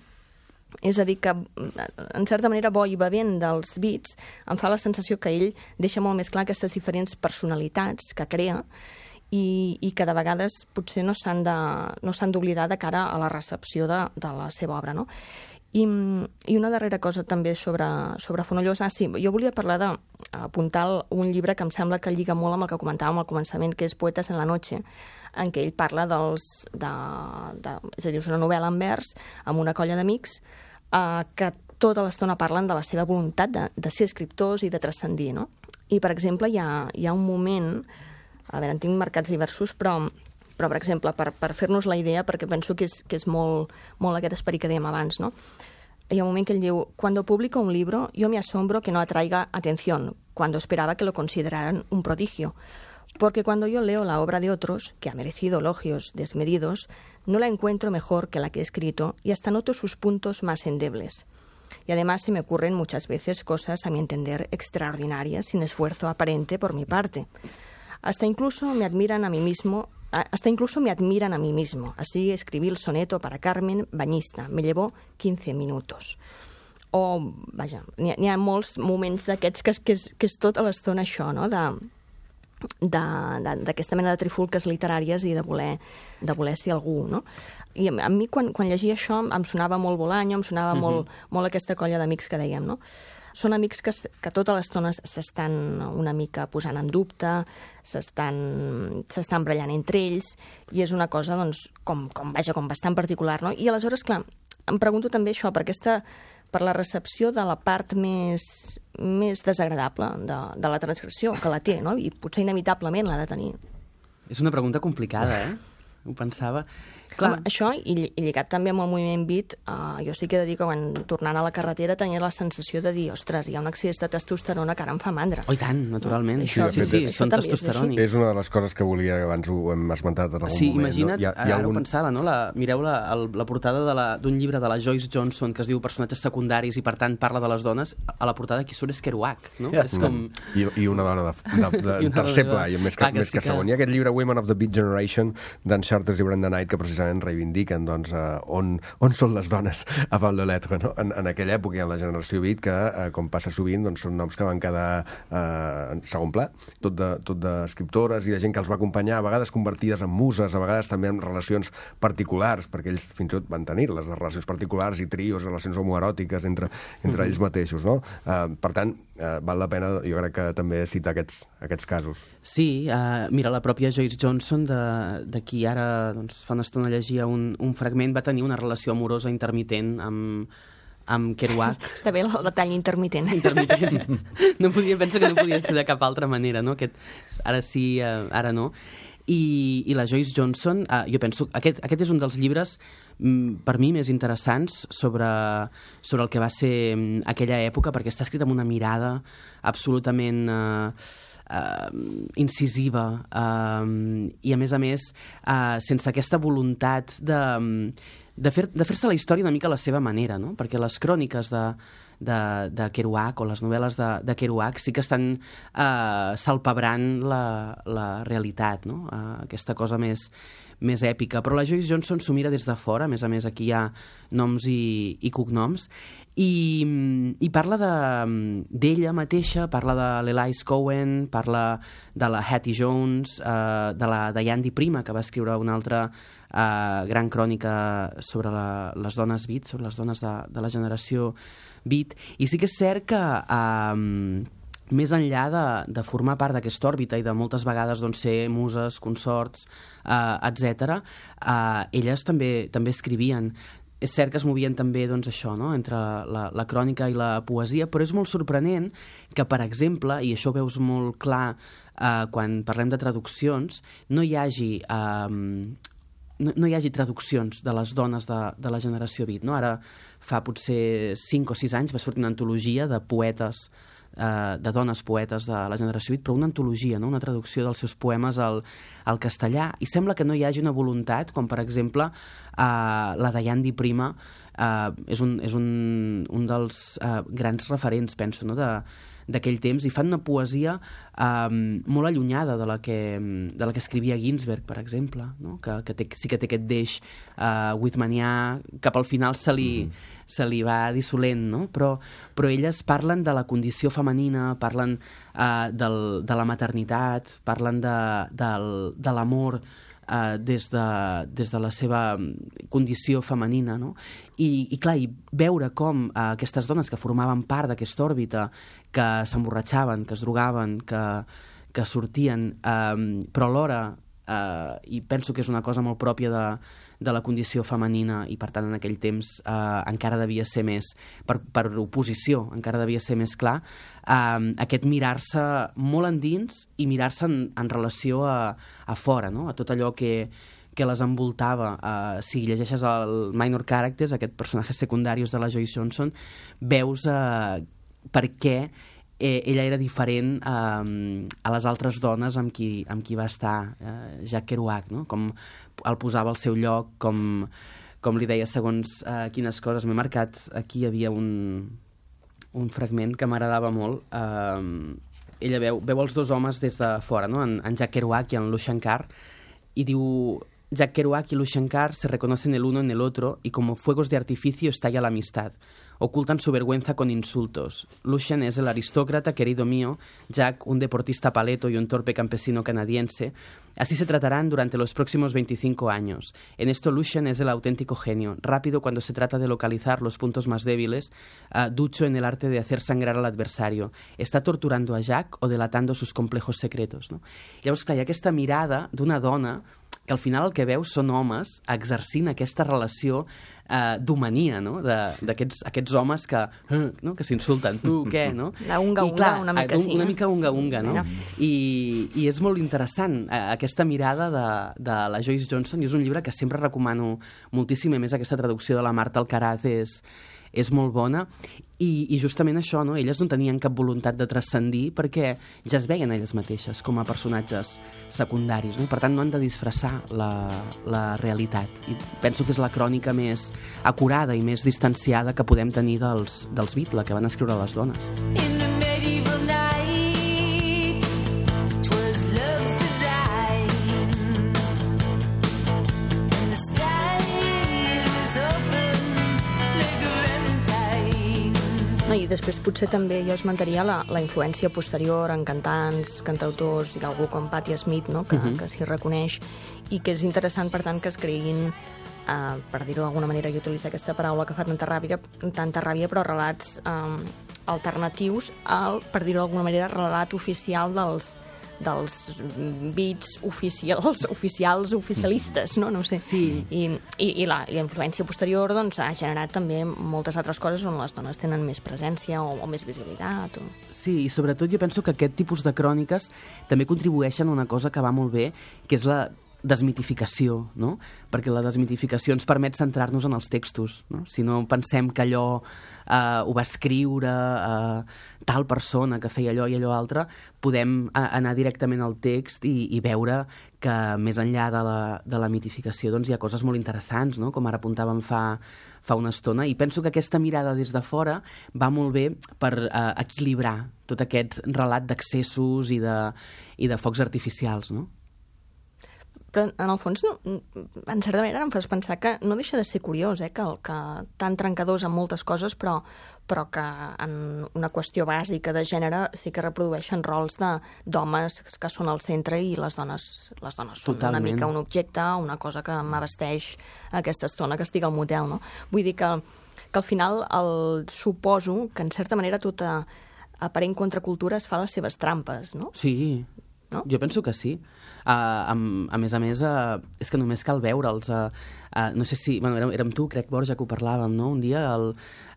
És a dir, que en certa manera bo i bevent dels beats em fa la sensació que ell deixa molt més clar aquestes diferents personalitats que crea i, i que de vegades potser no s'han de, no s'han d'oblidar de cara a la recepció de, de la seva obra, no? I, i una darrera cosa també sobre, sobre Fonollosa. Ah, sí, jo volia parlar de apuntar un llibre que em sembla que lliga molt amb el que comentàvem al començament, que és Poetes en la noche, en què ell parla dels... De, de, és a dir, és una novel·la en vers amb una colla d'amics eh, que tota l'estona parlen de la seva voluntat de, de ser escriptors i de transcendir, no? I, per exemple, hi ha, hi ha un moment... A veure, en tinc marcats diversos, però... Però, per exemple, per, per fer-nos la idea, perquè penso que és, que és molt, molt aquest esperit que dèiem abans, no? Hi ha un moment que ell diu: «Cuando publico un libro, yo me asombro que no atraiga atención, cuando esperaba que lo consideraran un prodigio. Porque cuando yo leo la obra de otros, que ha merecido elogios desmedidos, no la encuentro mejor que la que he escrito y hasta noto sus puntos más endebles. Y además se me ocurren muchas veces cosas, a mi entender, extraordinarias, sin esfuerzo aparente por mi parte. Hasta incluso me admiran a mí mismo, hasta incluso me admiran a mí mismo. Así escribí el soneto para Carmen Bañista. Me llevó quince minutos». O, vaja, n'hi ha, ha molts moments d'aquests que, que, és, que és tota l'estona això, no?, de d'aquesta mena de trifulques literàries i de voler, de voler ser algú, no? I a mi, quan, quan llegia això, em sonava molt Bolaño, em sonava uh-huh. molt, molt aquesta colla d'amics que dèiem, no? són amics que, que tota l'estona s'estan una mica posant en dubte, s'estan s'estan brallant entre ells, i és una cosa, doncs, com, com, vaja, com bastant particular, no? I aleshores, clar, em pregunto també això, per aquesta per la recepció de la part més, més desagradable de, de la transgressió, que la té, no? I potser inevitablement l'ha de tenir. És una pregunta complicada, eh? Ho pensava. Clar. Home, això, i, i lligat també amb el moviment beat, uh, jo sí que he de dir que quan tornant a la carretera tenia la sensació de dir, ostres, hi ha un excés de testosterona que ara em fa mandra. Oh, i tant, naturalment. No? Això, sí, sí, sí, són testosterònics. És una de les coses que volia, abans ho hem esmentat en algun sí, moment. Imagina't, no? Hi ha, hi ha ara algun... ho pensava, no? La, mireu la, el, la portada de la, d'un llibre de la Joyce Johnson que es diu Personatges secundaris i, per tant, parla de les dones. A la portada qui surt és Kerouac, no? Yeah. És com... I, I una dona de, de, de, de tercer pla, i més que, Clar, que més sí que segon. Hi ha aquest llibre Women of the Beat Generation d'en Chartres i Brenda Knight que precisament reivindiquen doncs, uh, on, on són les dones avant le lettre, no? en, en aquella època, en la generació beat, que, uh, com passa sovint, doncs, són noms que van quedar uh, en segon pla, tot de, tot d'escriptores i de gent que els va acompanyar, a vegades convertides en muses, a vegades també en relacions particulars, perquè ells fins i tot van tenir les relacions particulars i trios, relacions homoeròtiques entre, entre mm-hmm. ells mateixos. No? Uh, per tant, uh, val la pena, jo crec que també citar aquests, aquests casos. Sí, uh, mira, la pròpia Joyce Johnson, de, de qui ara doncs, fa una estona llegia un, un fragment, va tenir una relació amorosa intermitent amb, amb Kerouac. Està bé el detall intermitent. Intermitent. No podia, penso que no podia ser de cap altra manera, no? Aquest, ara sí, uh, ara no. I, i la Joyce Johnson, uh, jo penso, aquest, aquest és un dels llibres mm, per mi més interessants sobre, sobre el que va ser mm, aquella època, perquè està escrit amb una mirada absolutament... Uh, Uh, incisiva uh, i a més a més uh, sense aquesta voluntat de, de, fer, de fer-se la història una mica a la seva manera, no? Perquè les cròniques de, de, de Kerouac o les novel·les de, de Kerouac sí que estan uh, salpebrant la, la realitat, no? Uh, aquesta cosa més, més èpica, però la Joyce Johnson s'ho mira des de fora, a més a més aquí hi ha noms i, i cognoms, i, i parla d'ella mateixa, parla de l'Elise Cohen, parla de la Hattie Jones, eh, de la Diane di Prima, que va escriure una altra eh, gran crònica sobre la, les dones beat, sobre les dones de, de la generació beat, i sí que és cert que eh, més enllà de, de formar part d'aquesta òrbita i de moltes vegades doncs, ser muses, consorts, eh, etcètera, eh, elles també, també escrivien. És cert que es movien també doncs, això, no? Entre la, la crònica i la poesia, però és molt sorprenent que, per exemple, i això ho veus molt clar eh, quan parlem de traduccions, no hi hagi... Eh, no, no hi hagi traduccions de les dones de, de la generació beat, no? Ara fa potser cinc o sis anys va sortir una antologia de poetes, eh, de dones poetes de la generació beat, però una antologia, no? Una traducció dels seus poemes al, al castellà, i sembla que no hi hagi una voluntat, com per exemple eh, la Diane di Prima eh, és, un, és un, un dels eh, grans referents, penso, no? de d'aquell temps, i fan una poesia eh, molt allunyada de la que, de la que escrivia Ginsberg, per exemple, no? que, que té, sí que té aquest deix eh, whitmanià, cap al final se li, mm-hmm. se li va dissolent, no? però, però elles parlen de la condició femenina, parlen eh, del, de la maternitat, parlen de, del, de l'amor Uh, des, de, des de la seva condició femenina, no? I, i clar, i veure com uh, aquestes dones que formaven part d'aquesta òrbita, que s'emborratxaven, que es drogaven, que, que sortien, um, però alhora, uh, i penso que és una cosa molt pròpia de, de la condició femenina, i per tant en aquell temps uh, encara devia ser més, per, per oposició, encara devia ser més clar, um, aquest mirar-se molt endins i mirar-se en, en relació a, a fora, no? A tot allò que, que les envoltava. Uh, si llegeixes el Minor Characters, aquest personatge secundarius de la Joyce Johnson, veus uh, per què eh, ella era diferent uh, a les altres dones amb qui, amb qui va estar uh, Jack Kerouac, no? Com el posava al seu lloc, com, com li deia segons uh, quines coses. M'he marcat, aquí hi havia un, un fragment que m'agradava molt. Uh, ella veu, veu els dos homes des de fora, no? en, en Jack Kerouac i en Lou Shankar, i diu: Jack Kerouac y Lucien Carr se reconocen el uno en el otro y como fuegos de artificio estalla la amistad. Ocultan su vergüenza con insultos. Lucien es el aristócrata querido mío, Jack un deportista paleto y un torpe campesino canadiense. Así se tratarán durante los próximos veinticinco años. En esto Lucien es el auténtico genio, rápido cuando se trata de localizar los puntos más débiles, uh, ducho en el arte de hacer sangrar al adversario. Està torturando a Jack o delatando sus complejos secretos. No? Llavors, clar, hi ha aquesta mirada d'una dona que al final el que veus són homes exercint aquesta relació eh, d'homania, no? d'aquests aquests homes que, eh, no? que s'insulten, tu, què, no? La unga-unga, una mica un, sí. Una mica unga-unga, no? I, I és molt interessant eh, aquesta mirada de, de la Joyce Johnson, i és un llibre que sempre recomano moltíssim, a més aquesta traducció de la Marta Alcaraz és, és molt bona, i, i justament això, no? Elles no tenien cap voluntat de transcendir perquè ja es veien elles mateixes com a personatges secundaris, no? Per tant no han de disfressar la, la realitat, i penso que és la crònica més acurada i més distanciada que podem tenir dels, dels Beatles, que van escriure les dones. In the medieval night, 'twas love's design, and the sky it was open like a valentine. No, i després potser també jo esmentaria la, la influència posterior en cantants, cantautors i algú com Patti Smith, no? que, Mhm. que s'hi reconeix, i que és interessant, per tant, que es creguin, eh, per dir-ho d'alguna manera, i utilitzar aquesta paraula que fa tanta ràbia, tanta ràbia però relats eh, alternatius al, per dir-ho d'alguna manera, relat oficial dels dels beats oficials, oficials, oficialistes, no? No ho sé. Sí. I, i, i, la, i la influència posterior doncs, ha generat també moltes altres coses on les dones tenen més presència o, o més visibilitat. O... Sí, i sobretot jo penso que aquest tipus de cròniques també contribueixen a una cosa que va molt bé, que és la desmitificació, no? Perquè la desmitificació ens permet centrar-nos en els textos, no? Si no pensem que allò eh, ho va escriure eh, tal persona que feia allò i allò altre, podem eh, anar directament al text i, i veure que més enllà de la, de la mitificació doncs hi ha coses molt interessants, no? Com ara apuntàvem fa, fa una estona, i penso que aquesta mirada des de fora va molt bé per eh, equilibrar tot aquest relat d'accessos i de, i de focs artificials, no? Però, en el fons, no, en certa manera em fas pensar que no deixa de ser curiós, eh, que, que tan trencadors en moltes coses, però, però que en una qüestió bàsica de gènere sí que reprodueixen rols d'homes que són al centre i les dones, les dones són Totalment. una mica un objecte, una cosa que m'abasteix aquesta estona que estic al motel, no? Vull dir que, que al final el, suposo que en certa manera tota aparent contracultura es fa les seves trampes, no? Sí, no? Jo penso que sí. Uh, a, a més a més, uh, és que només cal veure'ls. Uh, uh, no sé si... Bueno, érem, érem tu, crec, Borja, que ho parlàvem, no? Un dia, el,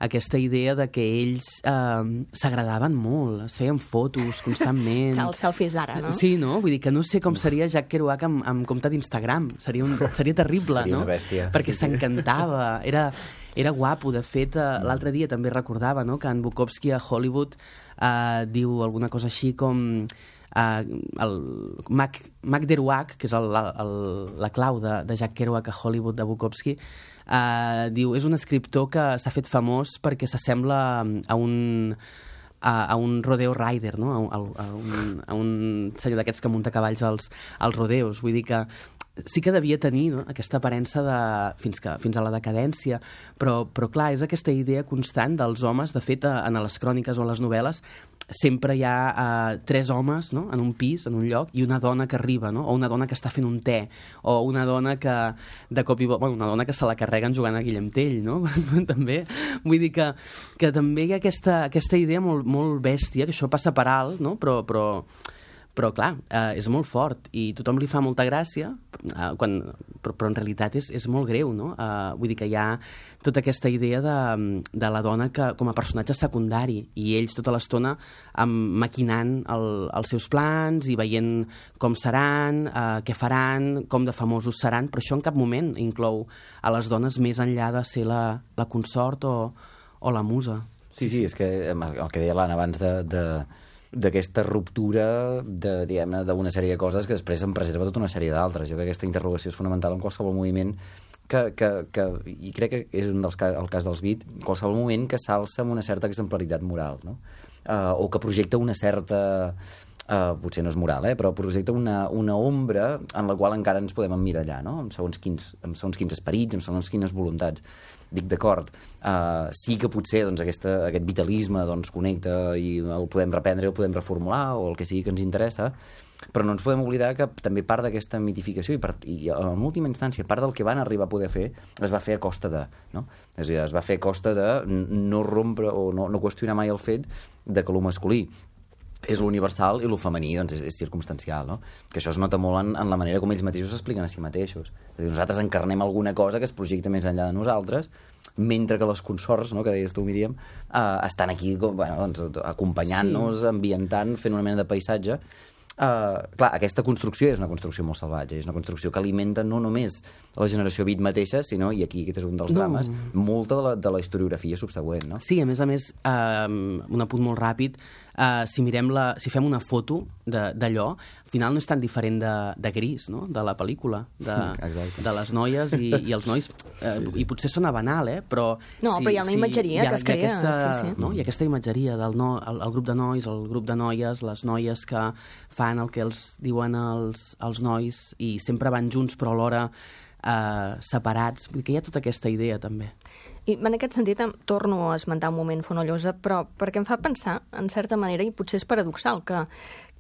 aquesta idea de que ells uh, s'agradaven molt, es feien fotos constantment. Els selfies d'ara, no? Sí, no? Vull dir que no sé com seria Jack Kerouac amb, amb compte d'Instagram. Seria, un, seria terrible, Seria no? una bèstia. Perquè Sí, sí. s'encantava. Era, era guapo. De fet, uh, l'altre dia també recordava, no?, que en Bukowski a Hollywood uh, diu alguna cosa així com... Uh, el Mac, Mac Kerouac, que és el, el, la clau de, de Jack Kerouac a Hollywood de Bukowski, uh, diu, és un escriptor que s'ha fet famós perquè s'assembla a un a, a un rodeo rider, no? a, a, a, un, a un senyor d'aquests que munta cavalls als, als rodeos. Vull dir que sí que devia tenir, no?, aquesta aparença de, fins, que, fins a la decadència, però, però clar, és aquesta idea constant dels homes. De fet, en les cròniques o les novel·les sempre hi ha uh, tres homes, no?, en un pis, en un lloc, i una dona que arriba, no?, o una dona que està fent un te, o una dona que de cop i volta, bueno, una dona que se la carreguen jugant a Guillem Tell, no? També. Vull dir que, que també hi ha aquesta, aquesta idea molt, molt bèstia, que això passa per alt, no?, però... però Però, clar, eh, és molt fort i tothom li fa molta gràcia, eh, quan, però, però en realitat és, és molt greu, no? Eh, vull dir que hi ha tota aquesta idea de, de la dona que, com a personatge secundari, i ells tota l'estona um, maquinant el, els seus plans i veient com seran, eh, què faran, com de famosos seran, però això en cap moment inclou a les dones més enllà de ser la, la consort o, o la musa. Sí, sí, és que el que deia l'Anna abans de... de... d'aquesta ruptura de, diguem-ne, d'una sèrie de coses que després en preserva tota una sèrie d'altres. Jo crec que aquesta interrogació és fonamental en qualsevol moviment que, que, que i crec que és un dels, el cas dels Beat, qualsevol moment que s'alça amb una certa exemplaritat moral, no? Uh, o que projecta una certa Uh, potser no és moral, eh? Però projecta una, una ombra en la qual encara ens podem emmirallar, no? Amb segons quins, amb segons quins esperits, amb segons quines voluntats. Dic, d'acord, uh, sí que potser doncs, aquesta, aquest vitalisme doncs, connecta i el podem reprendre i el podem reformular o el que sigui que ens interessa, però no ens podem oblidar que també part d'aquesta mitificació i, part, i en última instància part del que van arribar a poder fer es va fer a costa de, no? És a dir, es va fer a costa de no rompre o no, no qüestionar mai el fet de que lo masculí és l'universal i el femení doncs, és, és circumstancial, no? Que això es nota molt en, en la manera com ells mateixos s'expliquen a si mateixos. És a dir, nosaltres encarnem alguna cosa que es projecta més enllà de nosaltres, mentre que les consorts, no, que deies tu, Míriam, eh, estan aquí bueno, doncs, acompanyant-nos, sí. ambientant, fent una mena de paisatge. Uh, clar, aquesta construcció és una construcció molt salvatge, és una construcció que alimenta no només la generació beat mateixa, sinó, i aquí aquest és un dels no. drames, molta de la, de la historiografia subsegüent, no? Sí, a més a més, uh, un apunt molt ràpid, uh, si mirem la, si fem una foto d'allò, al final no és tan diferent de, de Gris, no?, de la pel·lícula, de, de les noies i, i els nois, uh, sí, sí. I potser sona banal, eh, però... No, si, però hi ha una si, imatgeria ha, que es crea. Aquesta, sí, sí. No? Hi ha aquesta imatgeria del no, el, el grup de nois, el grup de noies, les noies que fan el que els diuen els, els nois i sempre van junts però alhora eh, separats. Vull dir que hi ha tota aquesta idea també. I en aquest sentit em torno a esmentar un moment Fonollosa, però perquè em fa pensar, en certa manera, i potser és paradoxal, que,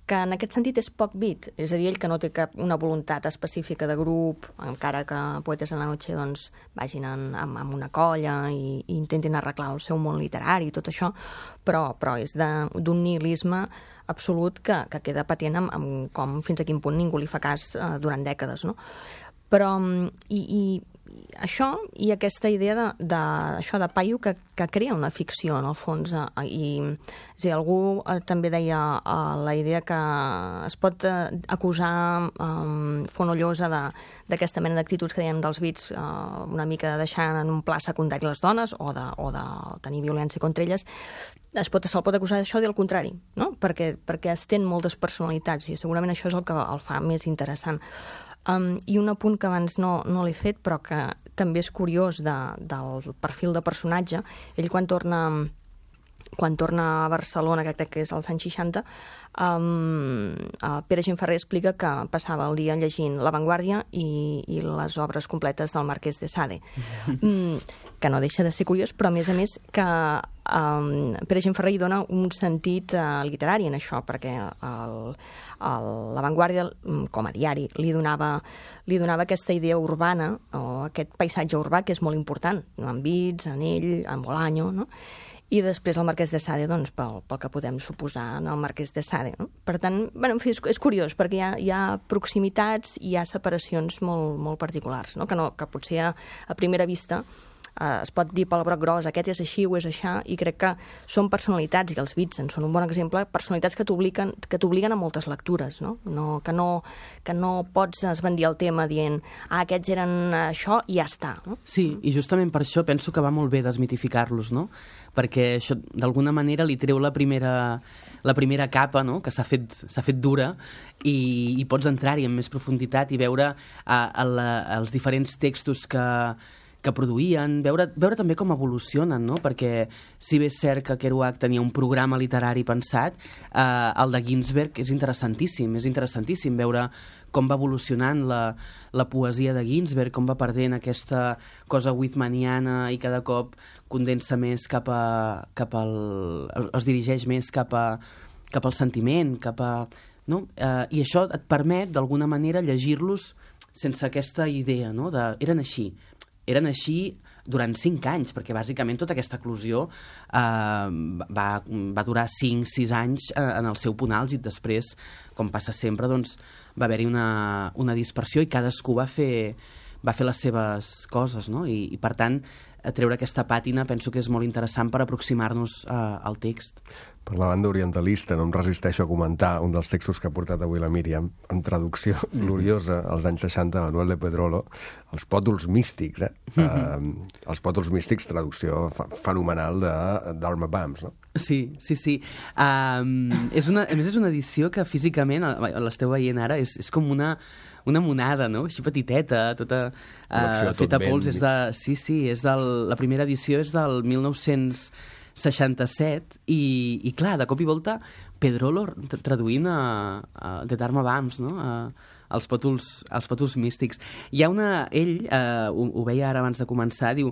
que en aquest sentit és poc beat. És a dir, ell que no té cap una voluntat específica de grup, encara que Poetes en la Noche doncs, vagin en, amb, amb una colla i, i intentin arreglar el seu món literari i tot això, però, però és d'un nihilisme absolut que, que queda patent amb, amb com fins a quin punt ningú li fa cas eh, durant dècades, no? Però, i, i això i aquesta idea de, de, això de paio que, que crea una ficció, en el fons, eh, i és a dir, algú eh, també deia eh, la idea que es pot eh, acusar eh, Fonollosa d'aquesta mena d'actituds que dèiem dels beats, eh, una mica de deixar en un pla secundari les dones o de, o de tenir violència contra elles. Es pot, se'l pot acusar d'això i del contrari, no? Perquè, perquè es tenen moltes personalitats i segurament això és el que el fa més interessant. Um, I un apunt que abans no, no l'he fet, però que també és curiós de, del perfil de personatge, ell quan torna, quan torna a Barcelona, que crec que és als anys seixanta, um, Pere Gimferrer explica que passava el dia llegint La Vanguardia i, i les obres completes del Marquès de Sade. Mm, que no deixa de ser curiós, però a més a més que um, Pere Gimferrer hi dona un sentit uh, literari en això, perquè el, el, La Vanguardia, com a diari, li donava, li donava aquesta idea urbana, o aquest paisatge urbà que és molt important, no? En Bits, en ell, en Bolaño, no? I després el Marquès de Sade, doncs, pel, pel que podem suposar en el Marquès de Sade, no? Per tant, bueno, en fi, és, és curiós, perquè hi ha, hi ha proximitats i hi ha separacions molt, molt particulars, no? Que, no, que potser a, a primera vista eh, es pot dir pel broc gros, aquest és així o és això, i crec que són personalitats, i els Beats en són un bon exemple, personalitats que t'obliguen que t'obliguen a moltes lectures, no? No, que, no, que no pots esbandir el tema dient, ah, aquests eren això i ja està, no? Sí, i justament per això penso que va molt bé desmitificar-los, no? Perquè això d'alguna manera li treu la primera, la primera capa, no? Que s'ha fet, s'ha fet dura i, i pots entrar-hi amb més profunditat i veure a, a la, els diferents textos que, que produïen, veure, veure també com evolucionen, no? Perquè si bé és cert que Kerouac tenia un programa literari pensat, eh, el de Ginsberg és interessantíssim, és interessantíssim veure com va evolucionant la, la poesia de Ginsberg, com va perdent aquesta cosa whitmaniana i cada cop condensa més cap a, cap al, es dirigeix més cap, a, cap al sentiment, cap a, no? Eh, i això et permet d'alguna manera llegir-los sense aquesta idea, no? De, eren així, eren així durant cinc anys, perquè bàsicament tota aquesta eclosió eh, va, va durar cinc sis anys eh, en el seu punt àlgid. Després, com passa sempre, doncs, va haver-hi una, una dispersió i cadascú va fer, va fer les seves coses, no? I, i per tant, treure aquesta pàtina penso que és molt interessant per aproximar-nos eh, al text. Per la banda orientalista, no em resisteixo a comentar un dels textos que ha portat avui la Míriam, en traducció gloriosa, als anys seixanta, Manuel de Pedrolo, Els pòtols místics, eh? Mm-hmm. uh, els pòtols místics, traducció fenomenal d'Arma Bams, no? Sí, sí, sí. Um, és una, a més, és una edició que físicament, l'esteu veient ara, és, és com una... una monada, no? Així petiteta, tota uh, feta a pols. És de, sí, sí, és del, la primera edició és del mil nou-cents seixanta-set, i, i clar, de cop i volta, Pedrolo traduint a, a The Dharma Bums, no?, a, als pòtols, als pòtols místics. Hi ha una... Ell, eh, ho, ho veia ara abans de començar, diu,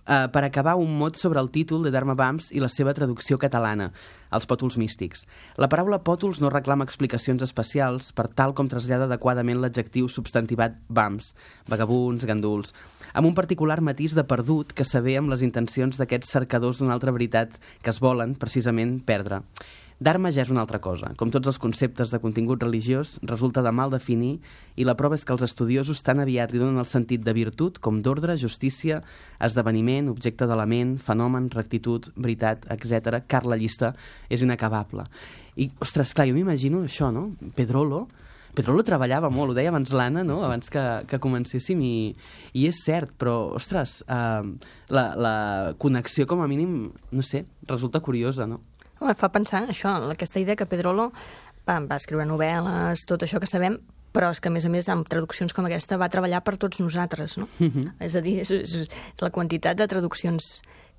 eh, per acabar un mot sobre el títol de Dharma Bums i la seva traducció catalana, els pòtols místics. La paraula pòtols no reclama explicacions especials per tal com trasllada adequadament l'adjectiu substantivat Bums, vagabuns, ganduls, amb un particular matís de perdut que s'avé amb les intencions d'aquests cercadors d'una altra veritat que es volen, precisament, perdre. Dharma ja és una altra cosa. Com tots els conceptes de contingut religiós, resulta de mal definir i la prova és que els estudiosos tan aviat li donen el sentit de virtut com d'ordre, justícia, esdeveniment, objecte de la ment, fenomen, rectitud, veritat, etcètera. Car la llista és inacabable. I, ostres, clar, jo m'imagino això, no? Pedrolo, Pedrolo treballava molt, ho deia abans l'Anna, no?, abans que, que comencéssim, i, i és cert, però, ostres, eh, la, la connexió, com a mínim, no sé, resulta curiosa, no? Home, fa pensar això, aquesta idea que Pedrolo va, va escriure novel·les, tot això que sabem, però és que, a més a més, amb traduccions com aquesta va treballar per tots nosaltres, no? Uh-huh. És a dir, és, és la quantitat de traduccions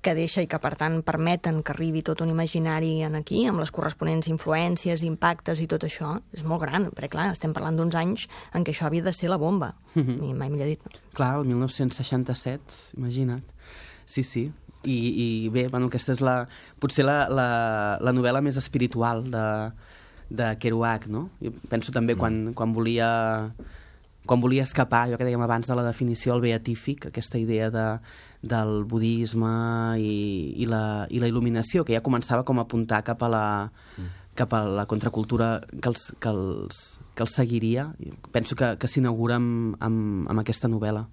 que deixa i que, per tant, permeten que arribi tot un imaginari en aquí, amb les corresponents influències, impactes i tot això, és molt gran, perquè, clar, estem parlant d'uns anys en què això havia de ser la bomba. Uh-huh. I mai millor dit, no? Clar, el mil nou-cents seixanta-set, imagina't. Sí, sí. I, i bé, bueno, aquesta és la, potser la, la, la novel·la més espiritual de, de Kerouac, no? Jo penso també quan, quan volia quan volia escapar, allò que dèiem abans de la definició, el beatífic, aquesta idea de, del budisme i, i, la, i la il·luminació, que ja començava com a apuntar cap a la, cap a la contracultura que els, que els, que els seguiria. Penso que, que s'inaugura amb, amb, amb aquesta novel·la.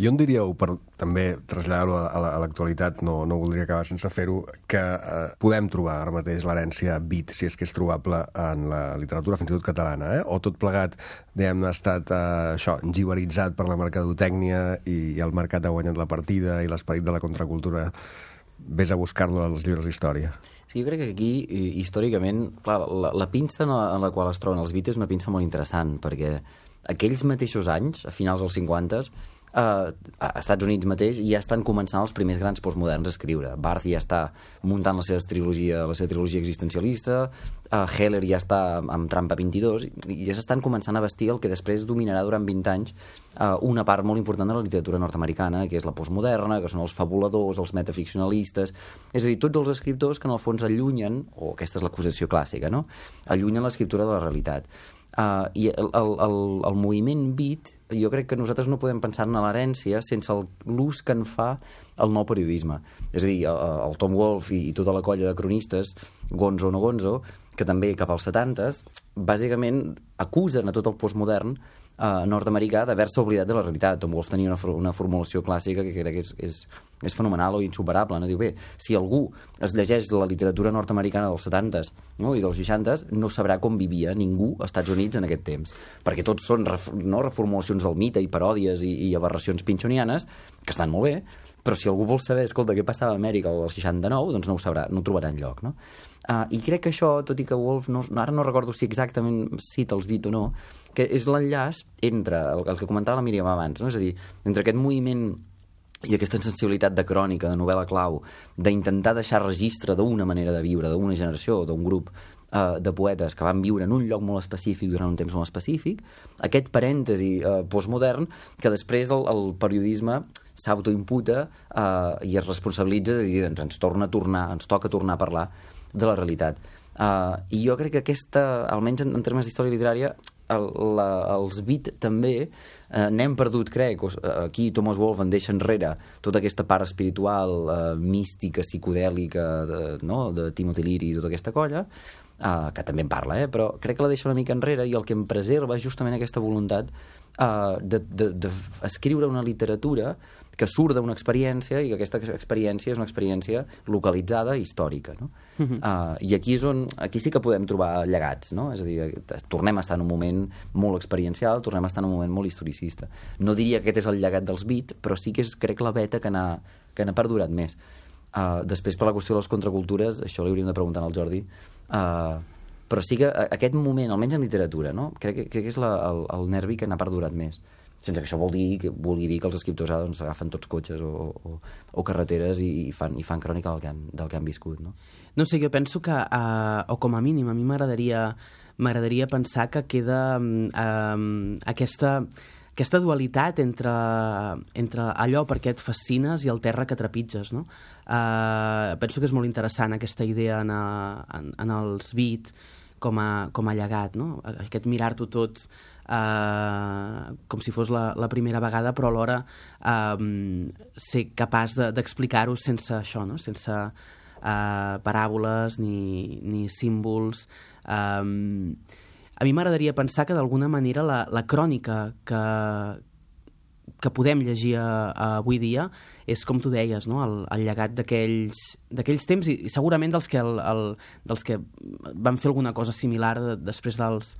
I on diríeu, per també traslladar-ho a l'actualitat, no, no voldria acabar sense fer-ho, que eh, podem trobar ara mateix l'herència beat, si és que és trobable en la literatura, fins i tot catalana, eh? O tot plegat, diguem-ne, ha estat eh, això, jivaritzat per la mercadotècnia i, i el mercat ha guanyat la partida i l'esperit de la contracultura vés a buscar-lo als llibres d'història. Sí, jo crec que aquí, històricament, clar, la, la pinça en la, en la qual es troben els beats és una pinça molt interessant, perquè aquells mateixos anys, a finals dels cinquanta, Uh, a Estats Units mateix ja estan començant els primers grans postmoderns a escriure. Barth ja està muntant la seva trilogia, la seva trilogia existencialista, uh, Heller ja està amb Trampa vint-i-dos, i ja s'estan començant a vestir el que després dominarà durant vint anys uh, una part molt important de la literatura nord-americana, que és la postmoderna, que són els fabuladors, els metaficcionalistes, és a dir, tots els escriptors que en el fons allunyen, o aquesta és l'acusació clàssica, no?, allunyen l'escriptura de la realitat. Uh, i el, el, el, el moviment beat, jo crec que nosaltres no podem pensar en l'herència sense l'ús que en fa el nou periodisme. És a dir, el, el Tom Wolfe i, i tota la colla de cronistes, Gonzo o no Gonzo, que també cap als setantes, bàsicament acusen a tot el postmodern eh, nord-americà d'haver-se oblidat de la realitat. Tom Wolfe tenia una, una formulació clàssica que crec que és, és, és fenomenal o insuperable. No? Diu, bé, si algú es llegeix la literatura nord-americana dels setantes, no? i dels seixantes, no sabrà com vivia ningú als Estats Units en aquest temps. Perquè tots són ref, no, reformulacions del mite i paròdies i, i aberracions pinchonianes, que estan molt bé, però si algú vol saber, escolta, què passava a Amèrica al seixanta-nou, doncs no ho sabrà, no ho trobarà enlloc, no? Uh, I crec que això, tot i que Wolf, no, ara no recordo si exactament cita els beat o no, que és l'enllaç entre el, el que comentava la Míriam abans, no? És a dir, entre aquest moviment i aquesta sensibilitat de crònica, de novel·la clau, d'intentar deixar registre d'una manera de viure, d'una generació, d'un grup uh, de poetes que van viure en un lloc molt específic durant un temps molt específic, aquest parèntesi uh, postmodern que després el, el periodisme s'autoimputa uh, i es responsabilitza de dir, doncs ens torna a tornar, ens toca tornar a parlar de la realitat. Uh, I jo crec que aquesta, almenys en, en termes d'història literària, el, la, els beat també uh, n'hem perdut, crec. Aquí Thomas Wolfe en deixa enrere tota aquesta part espiritual, uh, mística, psicodèlica, de, no? de Timothy Leary i tota aquesta colla, uh, que també en parla, eh? Però crec que la deixa una mica enrere i el que em preserva és justament aquesta voluntat uh, d'escriure una literatura que surt d'una experiència i que aquesta experiència és una experiència localitzada i històrica, no? Uh-huh. uh, I aquí és on, aquí sí que podem trobar llegats, no? És a dir, tornem a estar en un moment molt experiencial, tornem a estar en un moment molt historicista. No diria que aquest és el llegat dels beat, però sí que és, crec, la veta que n'ha que n'ha perdurat més. Uh, després, per la qüestió de les contracultures, això li hauríem de preguntar al Jordi, uh, però sí que aquest moment, almenys en literatura, no? crec, que, crec que és la, el, el nervi que n'ha perdurat més. sense que això vol dir, que vulgui dir que els escriptors ara doncs, agafen tots cotxes o, o, o carreteres i, i, fan, i fan crònica del que han, del que han viscut, no? No sé, jo penso que, uh, o com a mínim, a mi m'agradaria m'agradaria pensar que queda um, aquesta, aquesta dualitat entre, entre allò per què et fascines i el terra que trepitges, no? Uh, penso que és molt interessant aquesta idea en, a, en, en els beat com a, com a llegat, no? Aquest mirar-t'ho tot uh, com si fos la, la primera vegada, però alhora um, ser capaç de, d'explicar-ho sense això, no? Sense Uh, paràboles ni, ni símbols. Um, a mi m'agradaria pensar que d'alguna manera la, la crònica que, que podem llegir a, a avui dia és, com tu deies, no? el, el llegat d'aquells d'aquells temps i, i segurament dels que, el, el, dels que van fer alguna cosa similar de, després dels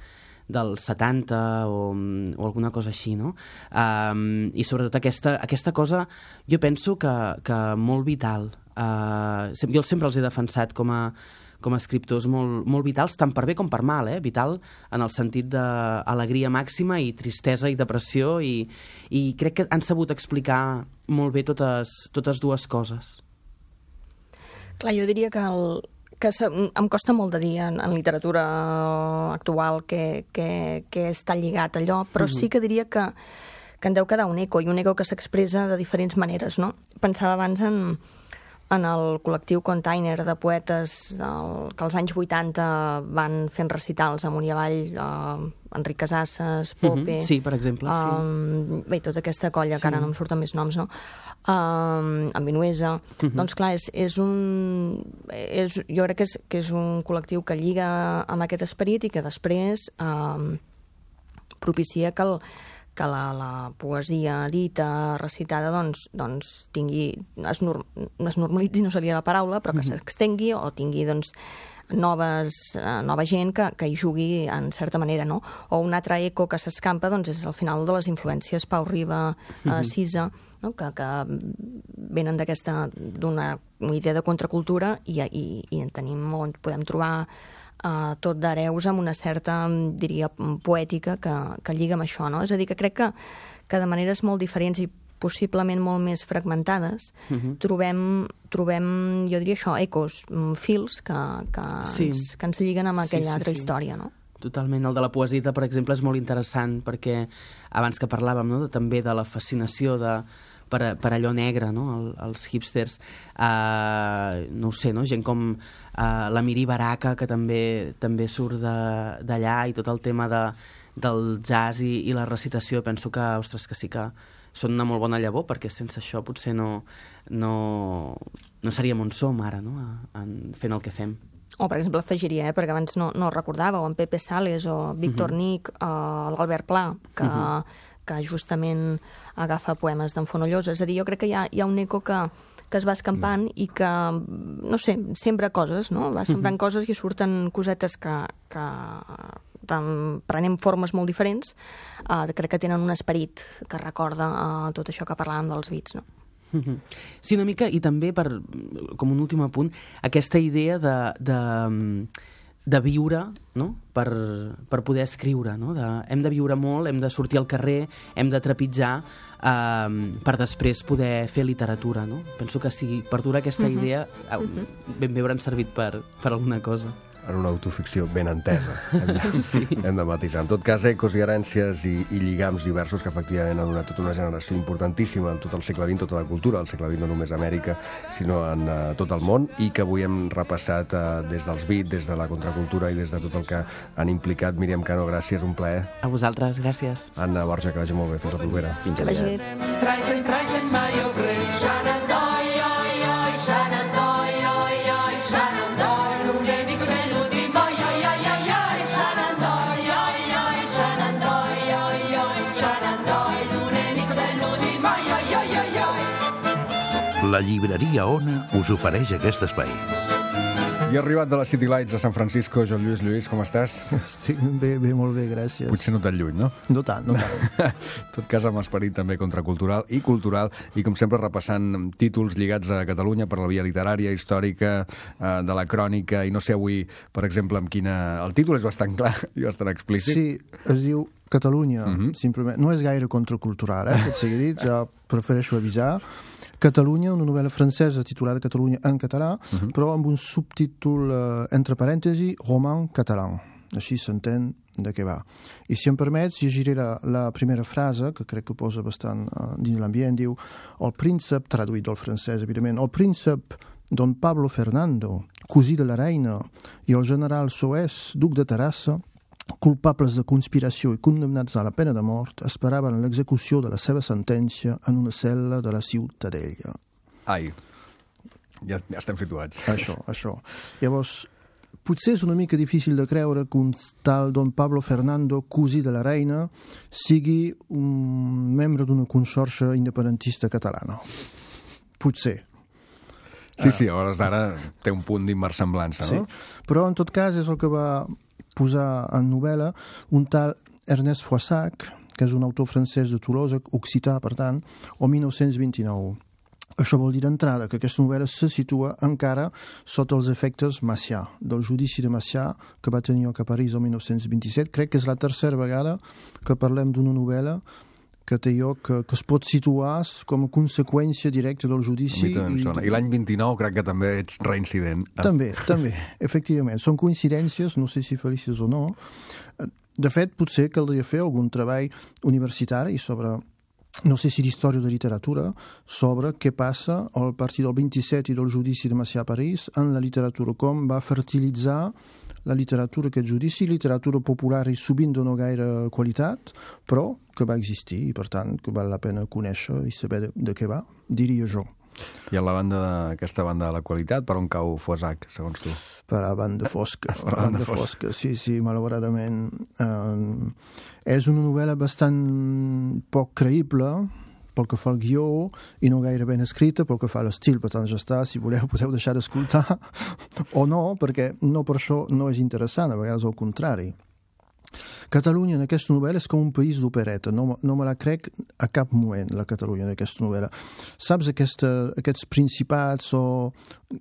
dels setanta o, o alguna cosa així, no? Um, I sobretot aquesta, aquesta cosa jo penso que, que molt vital. Uh, jo sempre els he defensat com a, com a escriptors molt, molt vitals, tant per bé com per mal, eh? Vital en el sentit d'alegria màxima i tristesa i depressió i, i crec que han sabut explicar molt bé totes, totes dues coses. Clar, jo diria que el, que em costa molt de dir en, en literatura actual que, que, que està lligat a allò, però uh-huh. sí que diria que, que en deu quedar un eco, i un eco que s'expressa de diferents maneres, no? Pensava abans en, en el col·lectiu Container de poetes del, que als anys vuitanta van fent recitals amunt i avall, uh, Enric Casasses, Pope... Uh-huh. Sí, per exemple. Um, sí. Bé, tota aquesta colla, sí. que ara no em surten més noms, no? Um, en Vinuesa. Uh-huh. Doncs clar, és, és un... És, jo crec que és, que és un col·lectiu que lliga amb aquest esperit i que després um, propicia que, el, que la, la poesia dita, recitada, doncs, doncs tingui... Es, norm, es normalitzi, no seria la paraula, però que uh-huh. s'extengui o tingui, doncs, noves, uh, nova gent que, que hi jugui en certa manera, no? O un altre eco que s'escampa, doncs, és al final de les influències Pau Riba, uh, Sisa, no? que, que venen d'aquesta, d'una idea de contracultura i, i, i en tenim on podem trobar uh, tot d'hereus amb una certa, diria, poètica que, que lliga amb això, no? És a dir, que crec que, que de maneres molt diferents i possiblement molt més fragmentades, uh-huh. trobem, trobem, jo diria això, ecos, fils que, que, sí. ens, que ens lliguen amb aquella sí, sí, altra sí. història, no? Totalment. El de la poesia, per exemple, és molt interessant perquè abans que parlàvem, no?, de, també de la fascinació de, per, per allò negre, no?, El, els hipsters, uh, no ho sé, no?, gent com uh, la Miri Baraka, que també també surt d'allà, i tot el tema de, del jazz i, i la recitació, penso que, ostres, que sí que són una molt bona llavor, perquè sense això potser no, no, no seríem on som ara, no?, en, fent el que fem. O, per exemple, afegiria, eh, perquè abans no, no recordava, o en Pepe Sales, o Víctor uh-huh. Nic, o l'Albert Pla, que, uh-huh. que justament agafa poemes d'en Fonollosa. És a dir, jo crec que hi ha, hi ha un eco que, que es va escampant uh-huh. i que, no sé, sembra coses, no? Va sembrant uh-huh. coses i surten cosetes que... que prenem formes molt diferents, uh, crec que tenen un esperit que recorda uh, tot això que parlàvem dels beats, no? Sí, una mica, i també, per, com un últim apunt, aquesta idea de, de, de viure, no?, per, per poder escriure, no? De, hem de viure molt, hem de sortir al carrer, hem de trepitjar eh, per després poder fer literatura, no? Penso que si perdura aquesta uh-huh. idea, uh-huh. ben bé hauran servit per, per alguna cosa. En una autoficció ben entesa. Hem de, sí. hem de matisar. En tot cas, ecos i herències i, i lligams diversos que efectivament han donat tota una generació importantíssima en tot el segle vint, tota la cultura, el segle vint no només a Amèrica, sinó en uh, tot el món, i que avui hem repassat uh, des dels beats, des de la contracultura i des de tot el que han implicat. Míriam Cano, gràcies, un plaer. A vosaltres, gràcies. Anna Borja, que vagi molt bé. Fins la propera. Fins aviat. La llibreria Ona us ofereix aquest espai. I ha arribat de les City Lights a San Francisco, Joan Lluís. Lluís, com estàs? Estic bé, bé, molt bé, gràcies. Potser no tan lluny, no? No tant, no tant. En tot cas, amb esperit també contracultural i cultural, i com sempre repassant títols lligats a Catalunya per la via literària, històrica, eh, de la crònica, i no sé avui, per exemple, amb quina... El títol és bastant clar i bastant explícit. Sí, es diu Catalunya, Mhm. simplement, no és gaire contracultural, eh, tot sigui dit, ja prefereixo avisar. Catalunya, una novel·la francesa titulada Catalunya en català, Mhm. però amb un subtítol, eh, entre parèntesi, roman català. Així s'entén de què va. I si em permets, llegiré la, la primera frase, que crec que posa bastant uh, dins l'ambient, diu: el príncep, traduït del francès, evidentment, el príncep Don Pablo Fernando, cosí de la reina, i el general Soès, duc de Terrassa, culpables de conspiració i condemnats a la pena de mort, esperaven l'execució de la seva sentència en una cel·la de la Ciutadella. Ai, ja, ja estem situats. Això, això. Llavors, potser és una mica difícil de creure que un tal Don Pablo Fernando, cosí de la reina, sigui un membre d'una conxorxa independentista catalana. Potser. Sí, sí, a hores d'ara té un punt d'inversemblança, no? Sí, però en tot cas és el que va posar en novel·la un tal Ernest Froissac, que és un autor francès de Tolosa, occità, per tant, el mil nou-cents vint-i-nou. Això vol dir d'entrada que aquesta novel·la se situa encara sota els efectes Macià, del judici de Macià que va tenir lloc a París el mil nou-cents vint-i-set. Crec que és la tercera vegada que parlem d'una novel·la que té lloc, que, que es pot situar com a conseqüència directa del judici. I, I l'any vint-i-nou crec que també ets reincident. També, també, efectivament. Són coincidències, no sé si felices o no. De fet, potser caldria fer algun treball universitari sobre, no sé si d'història o de literatura, sobre què passa a partir del vint-i-set i del judici de Macià a París en la literatura, com va fertilitzar la literatura aquest judici, literatura popular i sovint de no gaire qualitat, però que va existir i, per tant, que val la pena conèixer i saber de, de què va, diria jo. I a la banda de, aquesta banda de la qualitat, per on cau Froissac, segons tu? Per a la banda fosca. Per a la banda fosca. fosca. Sí, sí, malauradament. Eh, és una novel·la bastant poc creïble, pel que fa al guió, i no gaire ben escrita, pel que fa a l'estil, per tant ja està, si voleu podeu deixar d'escoltar, o no, perquè no per això no és interessant, a vegades al contrari. Catalunya en aquesta novel·la és com un país d'opereta, no, no me la crec a cap moment, la Catalunya en aquesta novel·la. Saps aquesta, aquests principats o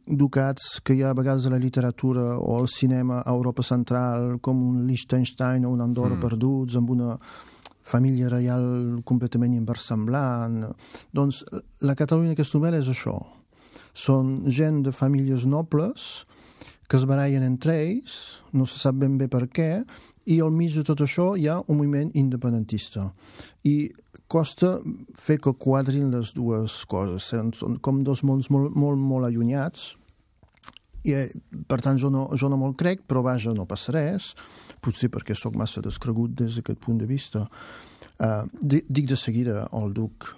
ducats que hi ha a vegades a la literatura o al cinema a Europa Central, com un Liechtenstein o un Andorra mm. perduts, amb una família reial completament inversemblant. Doncs la Catalunya en aquesta novel·la és això. Són gent de famílies nobles que es barallen entre ells, no se sap ben bé per què, i al mig de tot això hi ha un moviment independentista. I costa fer que quadrin les dues coses. Són com dos mons molt, molt, molt allunyats. I, per tant, jo no, jo no me'l crec, però vaja, no passa res. Potser perquè sóc massa descregut des d'aquest punt de vista. Uh, dic de seguida el duc,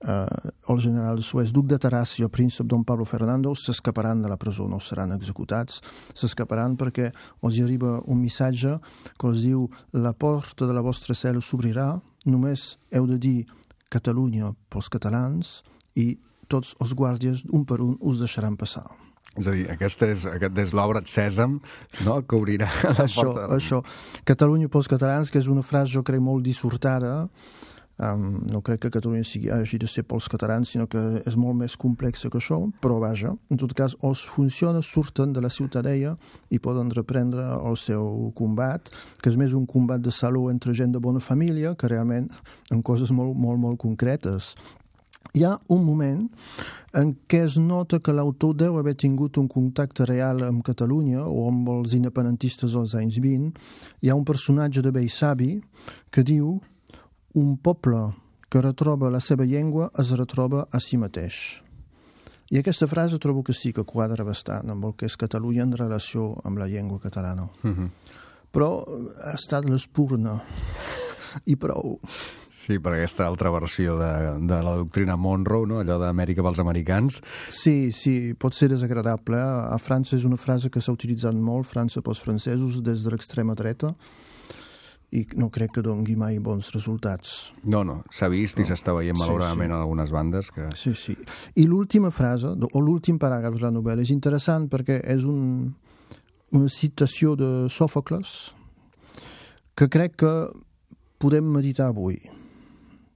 uh, el general de Suez, duc de Terrassa i el príncep Don Pablo Fernando s'escaparan de la presó, no seran executats, s'escaparan perquè els arriba un missatge que els diu: la porta de la vostra cel·la s'obrirà, només heu de dir Catalunya pels catalans i tots els guàrdies, un per un, us deixaran passar. És a dir, aquesta és, aquest és l'obra Sèsam, no?, que obrirà la això, porta. Això, Catalunya pels catalans, que és una frase, jo crec, molt dissortada. Um, no crec que Catalunya sigui, hagi de ser pels catalans, sinó que és molt més complexa que això, però vaja, en tot cas, els funciona, surten de la Ciutadella i poden reprendre el seu combat, que és més un combat de saló entre gent de bona família, que realment en coses molt, molt, molt concretes. Hi ha un moment en què es nota que l'autor deu haver tingut un contacte real amb Catalunya o amb els independentistes dels anys vint. Hi ha un personatge de vell savi que diu: un poble que retroba la seva llengua es retroba a si mateix. I aquesta frase trobo que sí que quadra bastant amb el que és Catalunya en relació amb la llengua catalana. Mm-hmm. Però ha estat l'espurna i prou. Sí, per aquesta altra versió de, de la doctrina Monroe, no?, allò d'Amèrica pels americans. Sí, sí, pot ser desagradable. A França és una frase que s'ha utilitzat molt, França pels francesos, des de l'extrema dreta, i no crec que dongui mai bons resultats. No, no, s'ha vist i no. s'està veient malauradament sí, sí. en algunes bandes. Que... Sí, sí. I l'última frase, o l'últim paràgraf de la novel·la, és interessant perquè és un, una citació de Sòfocles que crec que podem meditar avui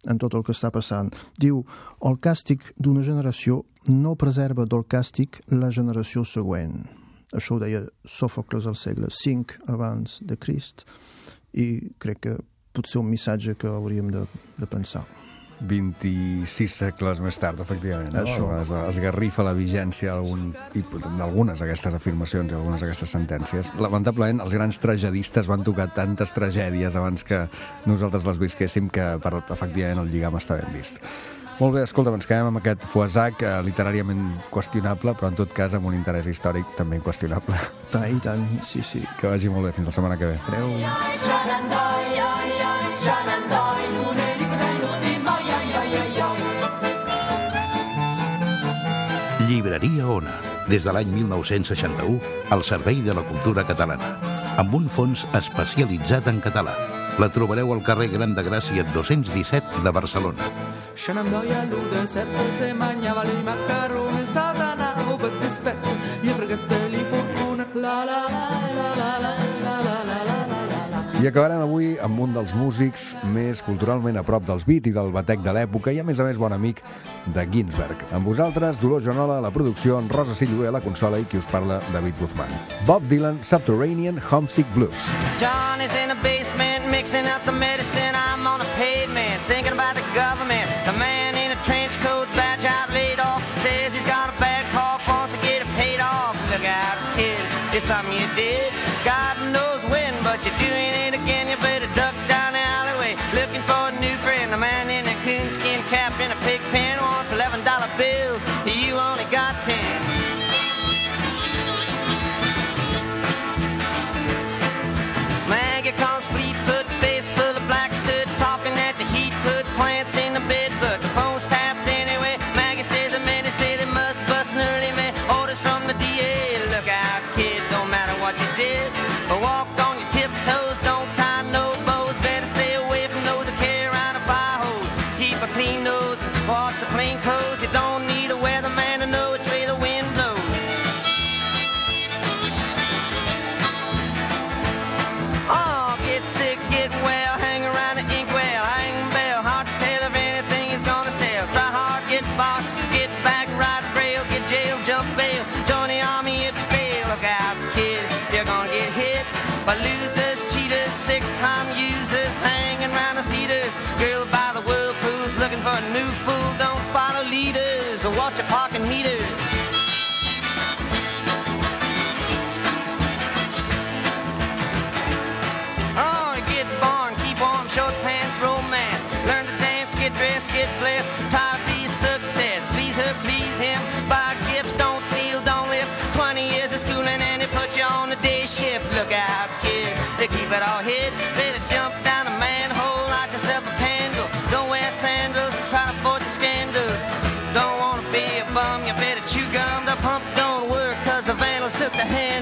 en tot el que està passant. Diu: el càstig d'una generació no preserva del càstig la generació següent. Això ho deia Sòfocles al segle cinc abans de Crist, i crec que potser un missatge que hauríem de, de pensar. vint-i-sis segles més tard, efectivament. No? Això. Es, esgarrifa la vigència d'algunes d'aquestes afirmacions i algunes d'aquestes sentències. Lamentablement, els grans tragedistes van tocar tantes tragèdies abans que nosaltres les visquéssim que, per, efectivament, el lligam està ben vist. Molt bé, escolta, ens quedem amb aquest Fouazac eh, literàriament qüestionable, però en tot cas amb un interès històric també inqüestionable. Tant i tant, sí, sí. Que vagi molt bé, fins la setmana que ve. Adéu. Llibreria Ona, des de l'any mil nou-cents seixanta-u, al servei de la cultura catalana, amb un fons especialitzat en català. La trobareu al carrer Gran de Gràcia dos-cents disset de Barcelona. Scenandoia lude serpe se mangiava i macaroni satana o per dispetto gli fregateli fortuna la la la la la la la la la la. I acabarem avui amb un dels músics més culturalment a prop dels beat i del batec de l'època i, a més a més, bon amic de Ginsberg. Amb vosaltres, Dolors Joanola a la producció, en Rosa Silloé a la consola i qui us parla, David Guzmán. Bob Dylan, Subterranean Homesick Blues. John is in the basement mixing up the medicine. I'm on the pavement thinking about the government. The man in a trench coat, badge out laid off, says he's got a bad cough, wants to get it paid off. Look out, kid, it's something you did. God knows when, but you're doing it again. You better duck down the alleyway looking for a new friend. The man in a coonskin cap in a pig pen wants eleven dollar bills. You only got ten. Maggie comes Fleetfoot, face full of black soot, talking at the heat, put plants in the bed, but the phone's tapped anyway. Maggie says the men say they must bust an early man. Orders from the D A. Look out, kid, don't matter what you did. Walk on your tiptoes, don't tie no bows. Better stay away from those that carry around a fire hose. Keep a clean nose, wash the plain clothes. You don't need a weatherman to know which way the wind blows. Oh, get sick, get well, hang around the inkwell, hang bell. Hard to tell if anything is gonna sell. Try hard, get bought, get back, ride rail, get jail, jump bail. Join the army if you fail. Look out, kid, you're gonna get hit by losers, cheaters, six-time users, hanging around the theaters. Girl by the whirlpools looking for a new fool. Don't follow leaders or watch your parking meters. Oh, get born, keep warm, short pants, romance. Learn to dance, get dressed, get blessed. Try to be a success. Please her, please him. Buy gifts, don't steal, don't live. Twenty years of schooling and they put you on the day shift. Look out, kid, they keep it all hid. Better jump down a manhole, light yourself a candle. Don't wear sandals, try to avoid the scandals. Don't wanna be a bum, you better chew gum. The pump don't work cause the vandals took the hand.